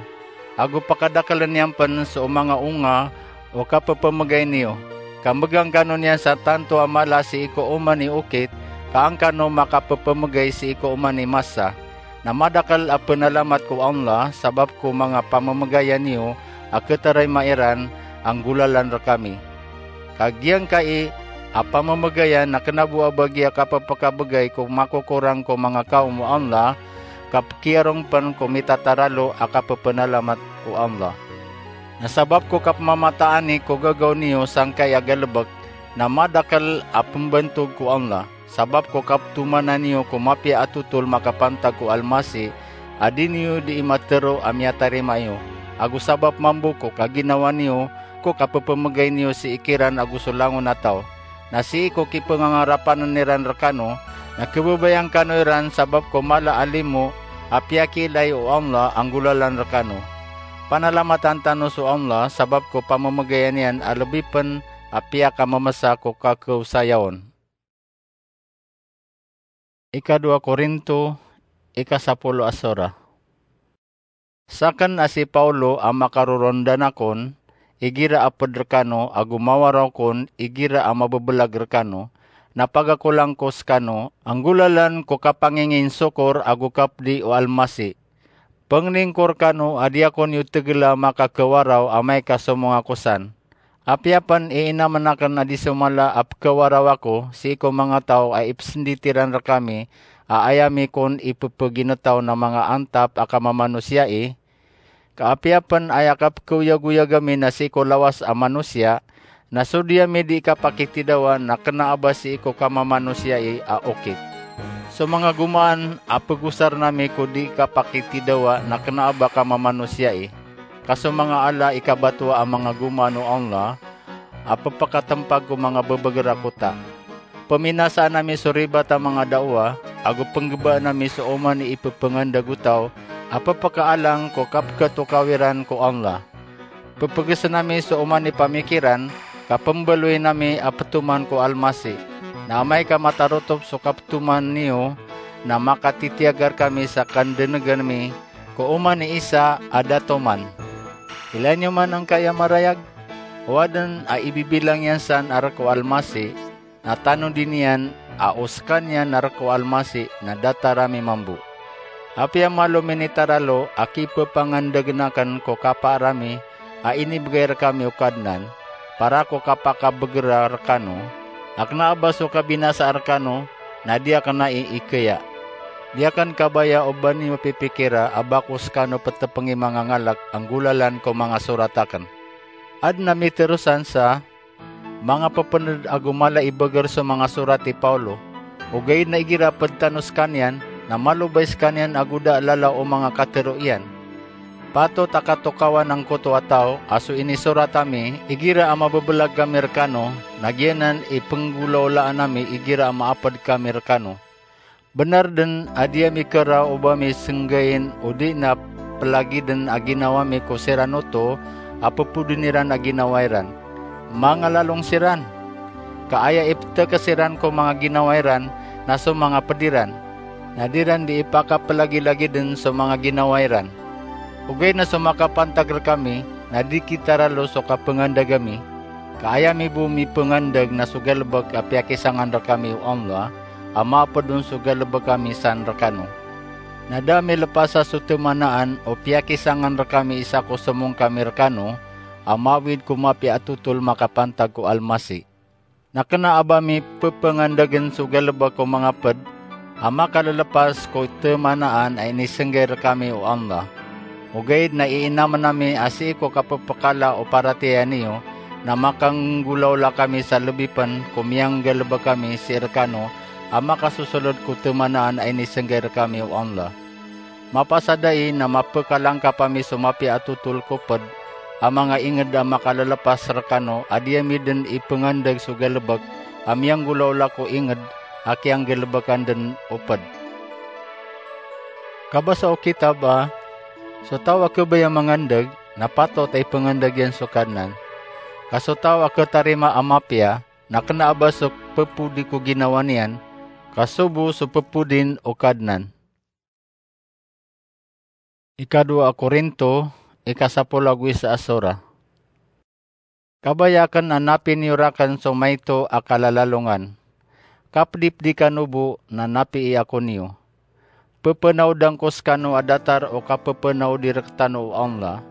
Ago pakadakelen iyan pen so manga onga o kapepemegay niyo. Ka mbegan kano niyan sa tanto a mala sii ko oman i okit, ka an kano makapepemegay sii ko oman i masa. Na madakel a penalamat ko Allah sabap ko manga pamemegayan iyo a ketarima iran a nggolalan rekami. Ka giyangkai a pamemegayan na kena bo a ba giya kapepekabegay ko makokorang ko manga kaom o Allah, ka pekiyarong pen ko mitataralo a kapepenalamat ko Allah. Na sabap ko kapemamataani ko gagaw niyo sangkai a galebek, na madakel a pembantog ko Allah. Sabap ko kapetomanan iyo ko mapiya a totol makapantag ko Almasih, a di niyo dii matero a miyatarima iyo, ago sabap mambo ko kaginawa niyo ko kapepemegay niyo sii kiran ago so langon a taw. Na sii ko kipengangarapanen iran rekano, na kebabayaan kano iran sabap ko mala a limo a piyakiilay o Allah a nggolalan rekano. Panalamatan tano so Allah sabap ko pamemegayan iyan a lebi pen a piyakamemesa ko kakeosayaon. Ikadowa Korinto, ikasapolo a sora. Saken a si Paulo a makarorondan akon, igira a ped rekano, ago mawaraw kon, igira a mabebelag rekano, na pagakolang ko sekano a nggolalan ko kapanginginsokor ago kapedi o Almasih. Penglingkor kano a di ako niyo tegela makakewaraw amay ka somong ako san. Apiya pen iinamen aken a di so mala a pekewaraw ako sii ko manga taw a ipesendit iran rekami a aya mi kon ipepeginetaw na manga antap a kamamanosiya i, ka apiya pen aya kapekeoyagoyag ami na sii ko lawas a manosiya, na so di ami di kapakitidawa na kena a ba sii ko kamamanosiya i a okit. So manga gomaan a pegosaren ami ko di kapakitidawa na kena a ba kamamanosiya i. Ka so manga ala i kabatoa a manga gomaan o Allah a pepakatempag ko manga bebeger a kota. Peminasaan ami so ribat a manga dawa, ago penggebaan ami so oman i ipepengandeg o taw a pepekaalang ko kapeketokaw iran ko Allah. Pepegesen ami so oman i pamikiran, ka pembaloyin ami a petoman ko Almasih. Na amay ka matarotop so kapetoman iyo, na makatitiyagar kami sa kandenegan mi ko oman i isa a da toman. Ilay niyo man angkaya marayag, o aden a ibibilang iyan san a rek o Almasih, na tanodi niyan a o sekaniyan a rek o Almasih na datar ami mambo. Apiya malo minitaralo a kipepangandegen aken ko kapaar ami a inibegay rekami o Kadnan, para ko kapakabegera rekano, a kena a ba so kabinasa rekano, na di aken ai ikaya. Di aken kabaya o ba niyo pipikira a ba ko sekano petepengi manga ngalek a nggolalan ko manga sorat aken. Aden a miterosan sa manga pepened ago mala i beger so manga sorat i Paulo. Ogaid na igira ped tano sekaniyan, na malobay sekaniyan ago da lalaw o manga katero iyan. Patot a katokawan angkoto a taw a so inisorat ami igira a mabebelag kami rekano, na giyanan i penggolaolaan ami igira a maaped kami rekano. Benar den a di ami kera o ba mi senggayin o di na pelagiden a ginawa mi ko siran oto a pepodin iran a ginawa iran. Mangalalong siran. Ka aya ipeteke siran ko manga ginawa iran na so manga ped iran, na di ran di ipakapelagilagiden so manga ginawa iran. Ogaid na so makapantag rekami na di kitaralo so kapengandeg ami, ka aya mi bo mipengandeg na so galebek a piyakisangan rekami o Allah, a maaped on so galebek ami san rekano. Na da mi lepasa so temanaan o piyakisangan rekami isa ko somong kami rekano, a mawid ko mapiya a totol makapantag ko Almasi. Na kena a ba mi pepengandegen so galebek o manga ped a makalelepas ko temanaan a inisenggay rekami o Allah. Ogaid na iinamen ami a sii ko kapepekala o paratiyaya niyo, na makanggolawla kami sa lebi pen ko miyanggalebek ami sii rekano a makasosoled ko temanaan a inisenggay rekami o Allah. Mapasad ai na mapekalangkap ami so mapiya a totol ko ped a manga inged a makalelepas rekano a di ami den ipengandeg so galebek a miyanggolawla ko inged a kiyanggalebekan den o ped. Kabasa o kitab a, so taw a kebaya mangandeg na patot a ipengandeg iyan so Kadnan. Ka so taw a ketarima a mapiya na kena a ba so pepodi ko ginawa niyan, ka so bo so pepodin o Kadnan. Ikadowa a Korinto, ikasapolo ago isa a sora. Kabaya aken a napi niyo raken so maito a kalalalongan. Kapedipedi kano bo na napii ako niyo. Pepenaodan ko sekano a datar o kapepenaodi rektano o Allah.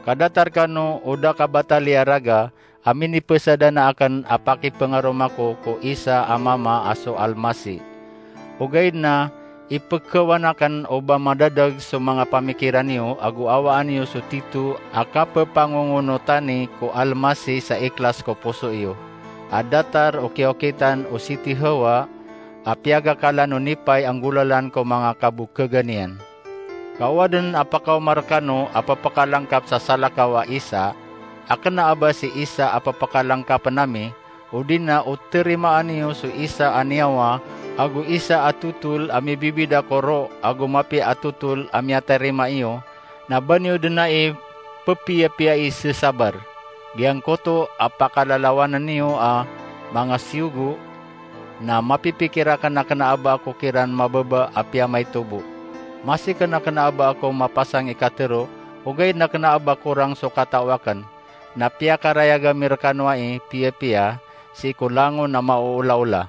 Ka datar kano o da kabatali a raga a minipesadana aken a pakipengaroma ko ko isa a mama a so Almasi. Ogaid na, ipekewan aken o ba madadag so manga pamikiran iyo ago awaan iyo so tito a kapepangongonotani ko Almasi sa ikhlas ko poso iyo, a datar o kiyaokitan o Siti Hawa a piyagakalan o nipay a nggolalan ko manga kabokegan iyan. Ka o aden a pakaoma rekano a pepekalangkap sa salakaw a isa, a kena a ba si isa a pepekalangkapen ami, odi na o terimaan iyo so isa a niyawa ago isa a totol a mibibida ko roo ago mapiya a totol a miyatarima iyo, na ba niyo den ai pepiyapiyai sesabar. Giyangkoto a pakalalawanan iyo a manga siyogo, na mapipikir aken a kena a ba ako kiran mababa a piyamaito bo. Masi ken a kena a ba ako mapasang i katero, ogaid na kena a ba korang so katao aken, na piyakarayag ami rekano ai piyapiya sii ko langon a maoolaola.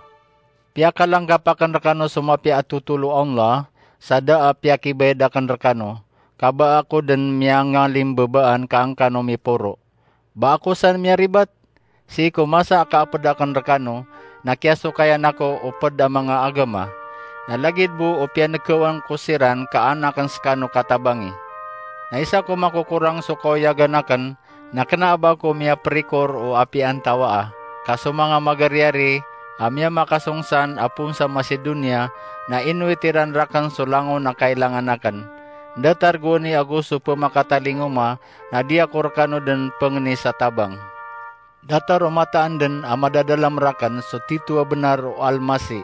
Piyakalangkap aken rekano so mapiya a totol o Allah sa da a piyakibayad aken rekano, ka ba ako den miyangalimbabaan ka angkano miporo. Ba ako san miyaribat? Sii ko masa a kaaped aken rekano, na kiyasokayan ako o ped a manga agama. Na lagid bo o piyanekewan ko siran ka an aken sekano katabangi. Na isa ko makokorang so kaoyagan aken, na kena a ba ako miyaperikor o apiya antawaa. Ka so manga magariyari a miyamakasong san a poon sa Macedonia, na inowit iran raken so langon a kailangan aken. Datar gowani ago so pemakatalingoma, na di ako rekano den pengeni sa tabang. Datar o mataan den a madadalam raken so tito a benar o Almasi,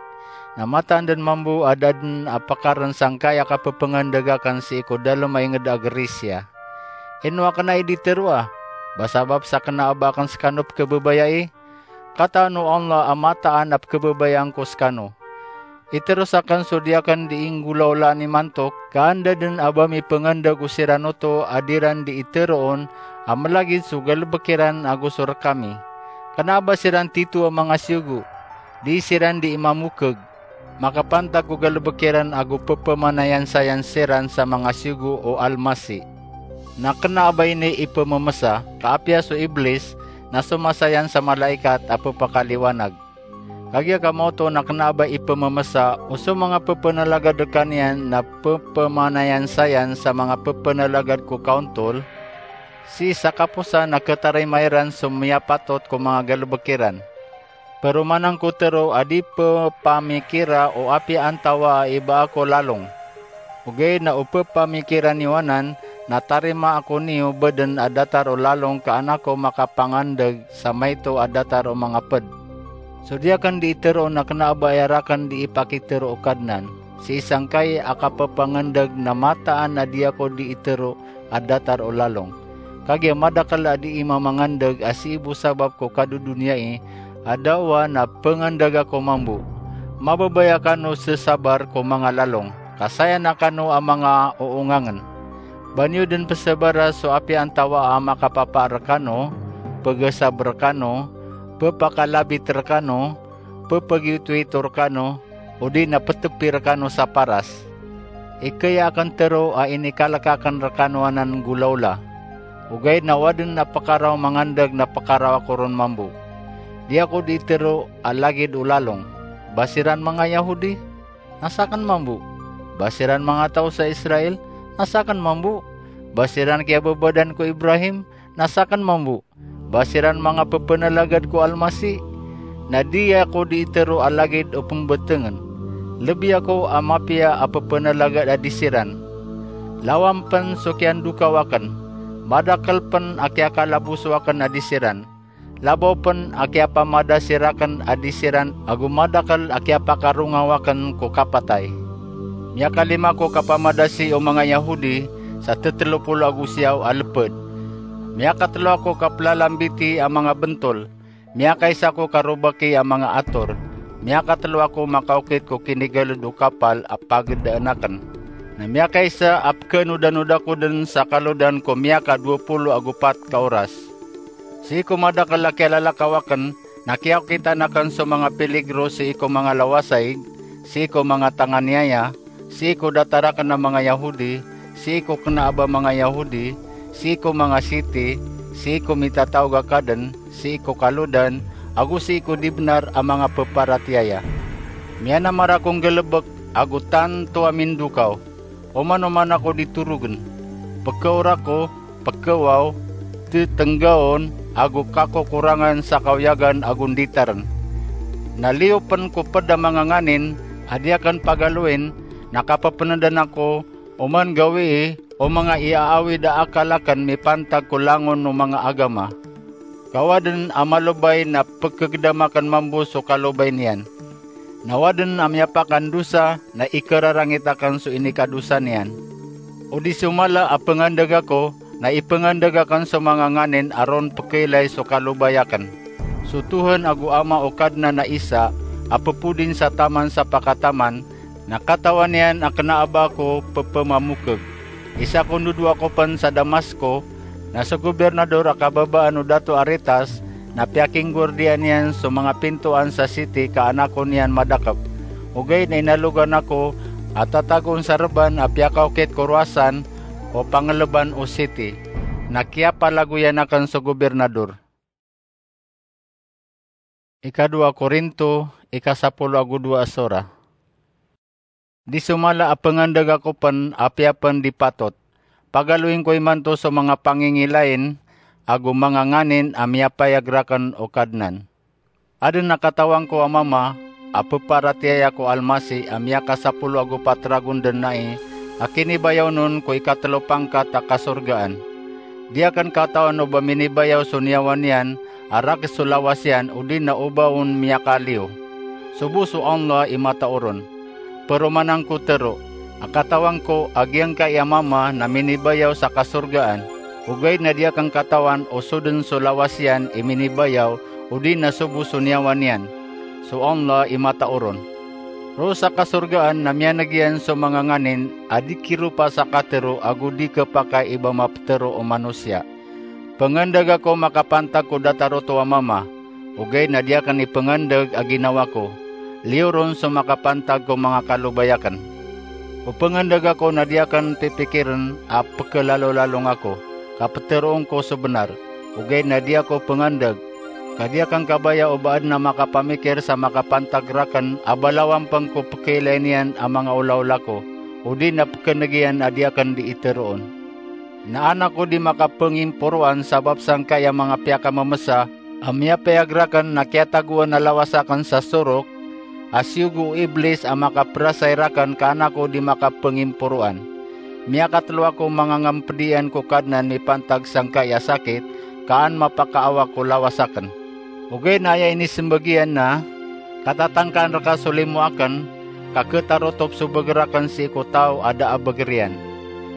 na mataan den mambo a da den a pekaren sangkai a kapepengandeg aken sii ko dalem a inged a Grisia. Ino aken ai di teroa? Ba sabap sa kena a ba aken sekano pekebabayai? Kataan o Allah a mataan a pekebabayaan ko sekano. Iteros aken so di aken di inggolawlaan imanto, ka anda den a ba mipengandeg o siran oto a di ran di iteroon a melagid so galebek iran ago so rekami. Kena a ba siran tito a manga siyogo, di siran di imamokeg, makapantag ko galebek iran ago pepemanayansayan siran sa manga siyogo o Almasi. Na kena a ba ini ipememesa, ka apiya so Iblis na somasayan sa malaikat a pepakaliwanag. Kagiya ka maoto na kena a ba ipememesa o so manga pepenalagad rekaniyan na pepemanayansayan sa manga pepenalagad ko kaontol, sii sa kaposan a ketarima iran so miyapatot ko manga galebek iran. Peromanan ko tero a di pepamikira o apiya antawaa i baa ko lalong. Ogaid na o pepamikira niyo anan, na tarima ako niyo beden a datar o lalong ka an ako makapangandeg sa maito a datar o manga ped. So di aken di iteroon na kena a ba aya raken di ipakitero o Kadnan. sii sangkai a kapepangandeg na mataan a di ako di itero a datar o lalong. Kagiya madakel a di i mamangandeg a sii bo sabap ko kadodoniyai a dawa na pengandeg ako mambo. Mababaya kano sesabar ko manga lalong, ka saya na kano a manga oongangen. Ba niyo den pesabara so apiya antawa a makapapaar rekano, pegesab rekano, pepakalabit rekano, pepegiyotoyito rekano, odi na petepi rekano sa paras. Ikaya aken tero a inikalek aken rekano anan golaola. Ogaid na waden a pekaraw mangandeg na pekaraw ako ron mambo. Di ako di tero a lagid o lalong. Ba siran manga Yahudi? Na saken mambo. Ba siran manga taw sa Israel? Na saken mambo. Ba siran kiyababadan ko Ibrahim? Na saken mambo. Ba siran manga pepenalagad ko Almasi? Na di ako di itero a lagid o pembetengen. Lebi ako a mapiya a pepenalagad a di siran. Lawan pen so kiyandokaw aken. Madakel pen a kiyakalaboso aken a di siran. Labaw pen a kiyapamadasi raken a di siran ago madakel a kiyapakarongaw aken ko kapatay. Miyakalima ko kapamadasi o manga Yahudi sa tetelo polo ago siyaw a leped. Miyakatelo ako kaplalambiti a manga bentol. Miyakaisa ko karobaki a manga ator. Miyakatelo ako makaokit ko kinigaled o kapal a pagedaan aken. Na miyakaisa a pekenodanoda ko den sa kalodan ko miyakadowa polo ago pat ka oras. Sii ko madakel a kiyalalakaw aken, na kiyaokitan aken so manga piligro sii ko manga lawasaig, sii ko manga tanganiyaya, sii ko datar aken a manga Yahudi, sii ko kena a ba manga Yahudi, sii ko manga siti, sii ko mitataog a kaden, sii ko kalodan, ago sii ko di benar a manga peparatiyaya. Miyanamar ako nggelebek ago tanto a mindokaw. Oman-oman ako di torogen. Pekeor ako, pekewaw, tetenggaon, ago kakokorangan sa kaoyagan ago nditaren. Na liyo pen ko ped a manga nganin a di aken pagaloin, na kapepenedan ako, oman gawii o manga iyaawid a akal aken mipantag ko langon o manga agama. Ka waden a malobay na pekegedam aken mambo so kalobay niyan. Na waden a miyapakandosa na ikerarangit aken so inikadosa niyan. O di so mala a pengandeg ako na ipengandeg aken so manga nganin a ron pekeilay so kalobay aken. So Tohan ago Ama o Kadnan a isa a pepodin sa taman sa pakataman, na katawan iyan a kena a ba ako pepemamokeg. Isa ko ndodowa ko pen sa Damasco, na so gobirnador a kababaan o Dato Aretas, na piyakinggordiyan iyan so manga pintoan sa siti ka anakon iyan madakep. Ogaid na inalogan ako a tatagoon sa reban a piyakaokit ko rowasan o pangeleban o siti. Na kiyapalagoyan aken so gobirnador. Ikadowa Korinto, ikasapolo ago dowa a sora. Di so mala a pengandeg ako pen apiya pen di patot. Pagaloin ko imanto so manga pangingilain ago manga nganin a miyapayag raken o Kadnan. Aden a katawan ko a mama a peparatiyaya ko Almasi a miyakasapolo ago pat ragon den nai a kinibayaw non ko ikatelo pangkat a kasorgaan. Di aken katawan o ba minibayaw so niyawa niyan a rakhs so lawas iyan odi na o ba on miyakaliyo. Sobo so Allah i matao ron. Peromanan ko tero a katawan ko a giyangkai a mama na minibayaw sa kasorgaan, ogaid na di aken katawan o so den so lawas iyan i minibayaw odi na sobo so niyawa niyan. So Allah i matao ron. Roo sa kasorgaan na miyaneg iyan so manga nganin a di kiropa sa katero ago di kepakay i ba mapetero o manosiya. Pengandeg ako makapantag ko datar oto a mama, ogaid na di aken ipengandeg a ginawa ko. Liyo ron so makapantag ko manga kalobay aken. O pengandeg ako na di aken pipikiren a pekelalalong ako, ka peteroon ko so benar, ogaid na di ako pengandeg, ka di aken kabaya o ba aden a makapamikir sa makapantag raken a balawan pen ko pekeilay niyan a manga olaola ko, odi na pekeneg iyan a di aken di iteroon. Na an ako di makapengimporoan sabap sangkai a manga piyakamemesa a miyapayag raken na kiyatagoan a lawas aken sa sorok, a siyogo o Iblis a makaperasay raken ka an ako di makapengimporoan. Miyakatelo ako mangangempedian ko Kadnan mipantag sangkai a sakit, ka an mapakaawa ko lawas aken. Ogaid na aya inisembag iyan na, katatangkaan reka so limo aken, ka khatarotop so beger aken sii ko taw a da a beger iyan.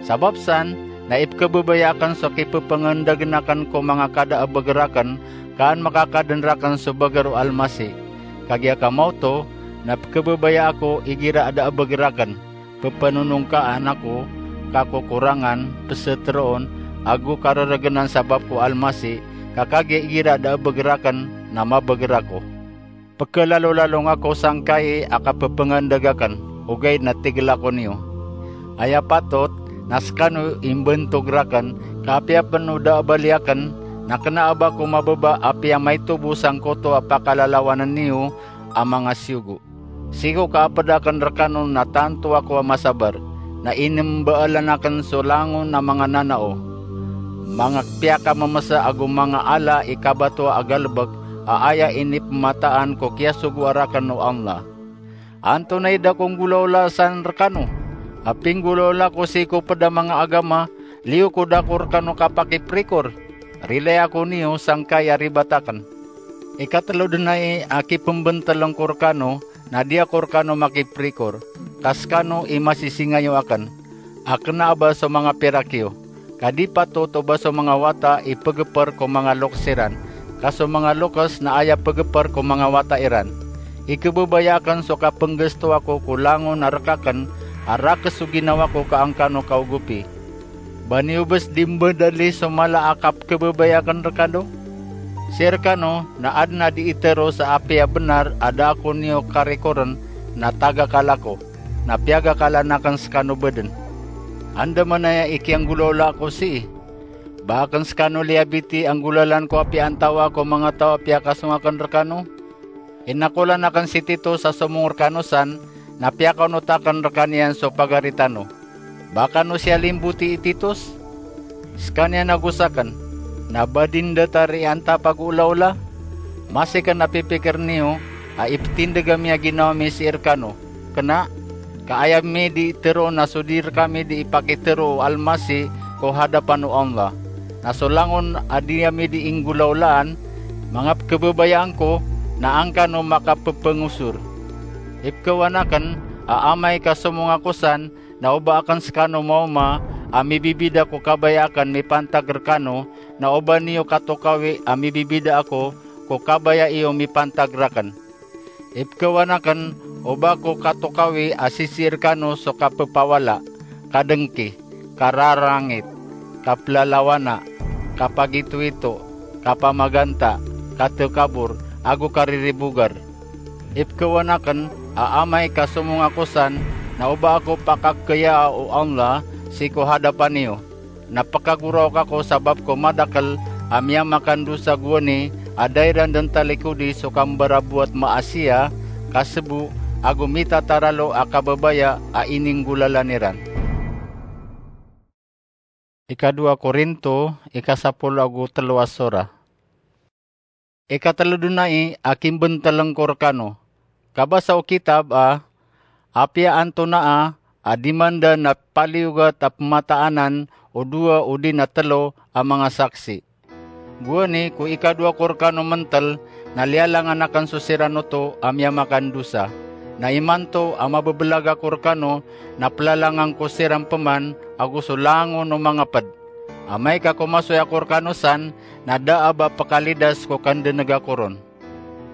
Sabap san na ipkhababaya aken so kipepengandagn aken ko manga kada a beger aken, ka an makakadn raken so beger o Almasih. Kagiya ka maoto na pkhababaya ako igira a da a beger aken, pepenonongkaan ako, kakokorangan, peseteroon, ago kareregenan sabap ko Almasih, ka kagiya igira a da a beger aken na mabeger ako. Pekhalalolalong ako sangkai a kapepengandag aken, ogaid na tig ako niyo. Aya patot na sekano i mbantog raken, ka apiya pen o da a bali aken, na kena a ba ako mababa apiya maitobo sangkoto a pakalalawanen iyo a manga siyogo. Sii ko kaaped aken rekano na tanto ako a masabar, na inembaalan aken so langon a manga nanao, manga piyakamemesa ago manga ala i kabatoa a galebek a aya inipemataan ko kiyasogoa raken o Allah. Antonaa i da ko nggolaola san rekano? A pinggolaola ko sii ko ped a manga agama, liyo ko da ko rekano kapakiprikor. Rilai ako niyo sangkai a ribat aken. Ikatelo den ai a kipembentelen ko rekano, na di ako rekano makiprikor, ka sekano i masisingayo aken, a kena a ba so manga pirak iyo, ka di patot o ba so manga wata i pegeper ko manga lokes iran, ka so manga lokes na aya pegeper ko manga wata iran. Ikhababaya aken so kapenggesto ako ko langon a rek aken, a rakes so ginawa ko ka angkano kaogopi. Ba niyo bes di mbedali so mala a kapkhababaya aken rekano? Sii rekano na aden a di itero sa apiya benar a da ako niyo karikoren na tagakal ako, na piyagakalan aken sekano baden. Andamanaya i kiyanggolaola ako sii? Ba aken sekano liyabiti a nggolalan ko apiya antawaa ko manga taw a piyakasong aken rekano? Inakolan aken si Titus a somong rekano san, na piyakaonot aken rekaniyan so pagari tano. Ba kano siya limbotii i Titus? Sekaniyan ago saken, na ba di ndatar i antapag o olaola? Masi ken a pipikir niyo a ipetindeg ami a ginawa mi sii rekano, kena? Ka aya mi di itero na so di rekami di ipakitero o Almasih ko hadapan o Allah. Na so langon a di ami di inggolaolaan, manga pekhababayaan ko, na angkano makapepengosor. Ipekhawan aken a amay ka somong ako san, na o ba aken sekano maoma a mibibida ko kabaya aken mipantag rekano, na o ba niyo katokawi a mibibida ako ko kabaya iyo mipantag raken. Ipekhawan aken o ba ko katokawi a sisii rekano so kapepawala, kadengki, kararangit, kapelalawana, kapagitoito, kapamaganta, katekabor, ago kariribogar. Ipekhawan aken a amay ka somong ako san, na o ba ako pakakhayaa o Allah sii ko hadapan iyo, na pekagoraok ako sabap ko madakel a miyamakandosa gowani a da iran den talikodi so kambaraboat maasiya, kasebo, ago mitataralo a kababaya a ininggolalan iran. Ikadowa Korinto, ikasapolo ago telo a sora. Ikatelo den ai a kimbenteleng ko rekano. Kabasa o kitab a, apiya antonaa a di manda na paliyogat a pemataanan o dowa odi na telo a manga saksi. Gowani ko ikadowa ko rekano mentel na liyalangan aken so siran oto a miyamakandosa. Na imanto a mabebelag ako rekano na pelalangan ko siran peman ago so langon o manga ped. Amay ka komasoy ako rekano san, na da a ba pekalidas ko kandeneg ako ron.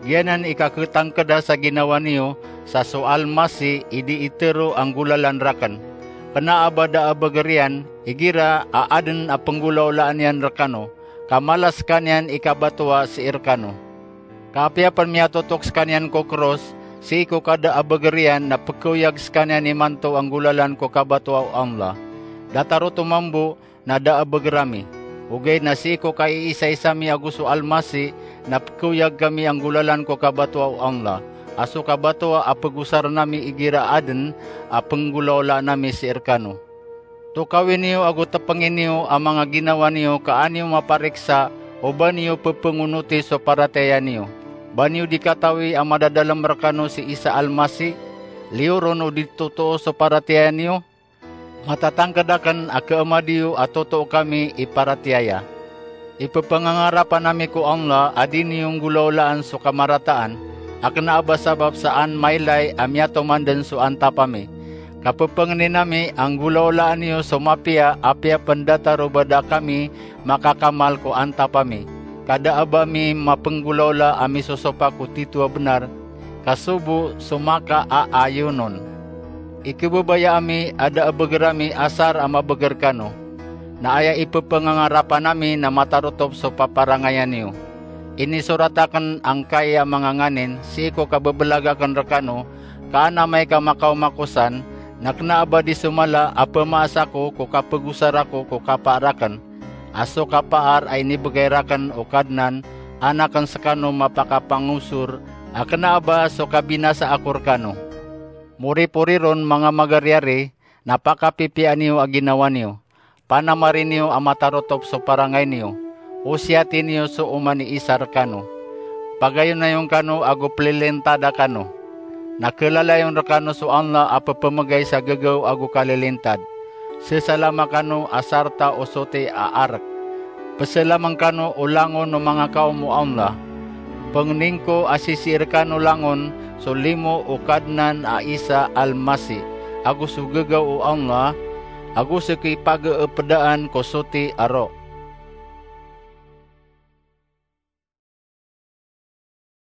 Giyanan i kaketangkeda sa ginawa niyo sa so Almasih i di itero a nggolalan raken. Kena a ba da a beger iyan, igira a aden a penggolaolaan iyan rekano, ka mala sekaniyan i kabatoa sii rekano. Ka apiya pen miyatotok sekaniyan ko kros, sii ko kada a beger iyan na pekhaoyag sekaniyan imanto a nggolalan ko kabatoa o Allah. Datar oto mambo na da a beger ami. Ogaid na sii ko kaiisaisa mi ago so Almasih na pekhaoyag kami a nggolalan ko kabatoa o Allah, a so kabatoa a pegosaren ami igira aden a penggolaolaan ami sii rekano. Tokawi niyo ago tepengi niyo a manga ginawa niyo ka an iyo mapariksa o ba niyo pepengonoti so paratiyaya niyo. Ba niyo di katawi a madadalem rekano si Isa Almasih? Liyo ron o di totoo so paratiyaya niyo? Matatangked aken a keemadi iyo a totoo kami i paratiyaya. Ipepangangarapan ami ko Allah a di niyo nggolaolaan so kamarataan, a kena a ba sabap sa an mailay a miyatoman den so antap ami. Kapepengnin ami a nggolawlaan iyo so mapiya, apiya pen datar o ba da kami makakamal ko antap ami. Ka da a ba mi mapenggolawla a misosopak ko tito a benar, ka so bo so makaaayon on. Ikebebaya ami a da a beger ami asar a mabeger kano, na aya ipepengangarapan ami na matarotop so paparangayan iyo. Inisorat aken angkai a manga nganin sii ko kabebelag aken rekano, ka an amay ka makaoma ko san, na kena a ba di so mala a pemaas ako ko kapegosar ako ko kapaar aken, a so kapaar a inibegay raken o Kadnan, an aken sekano mapakapangosor, a kena a ba so kabinasa ako rekano. Moripori ron, manga magariyari, na pakapipiyaan iyo a ginawa niyo. Panamari niyo a matarotop so parangay niyo. Osiyati niyo so oman i isa rekano. Pagayonayon kano ago pelilintada kano. Na kelalayon rekano so Allah a pepemegay sa gegaw ago kalilintad. Sesalama kano a sarta o soti a arek. Peselamen kano o langon o manga kaom o Allah. Pengnin ko a sisii rekano langon so limo o Kadnan a Isa Al-Masih, ago so gegaw o Allah, ago so kipageepedaan ko soti a roh.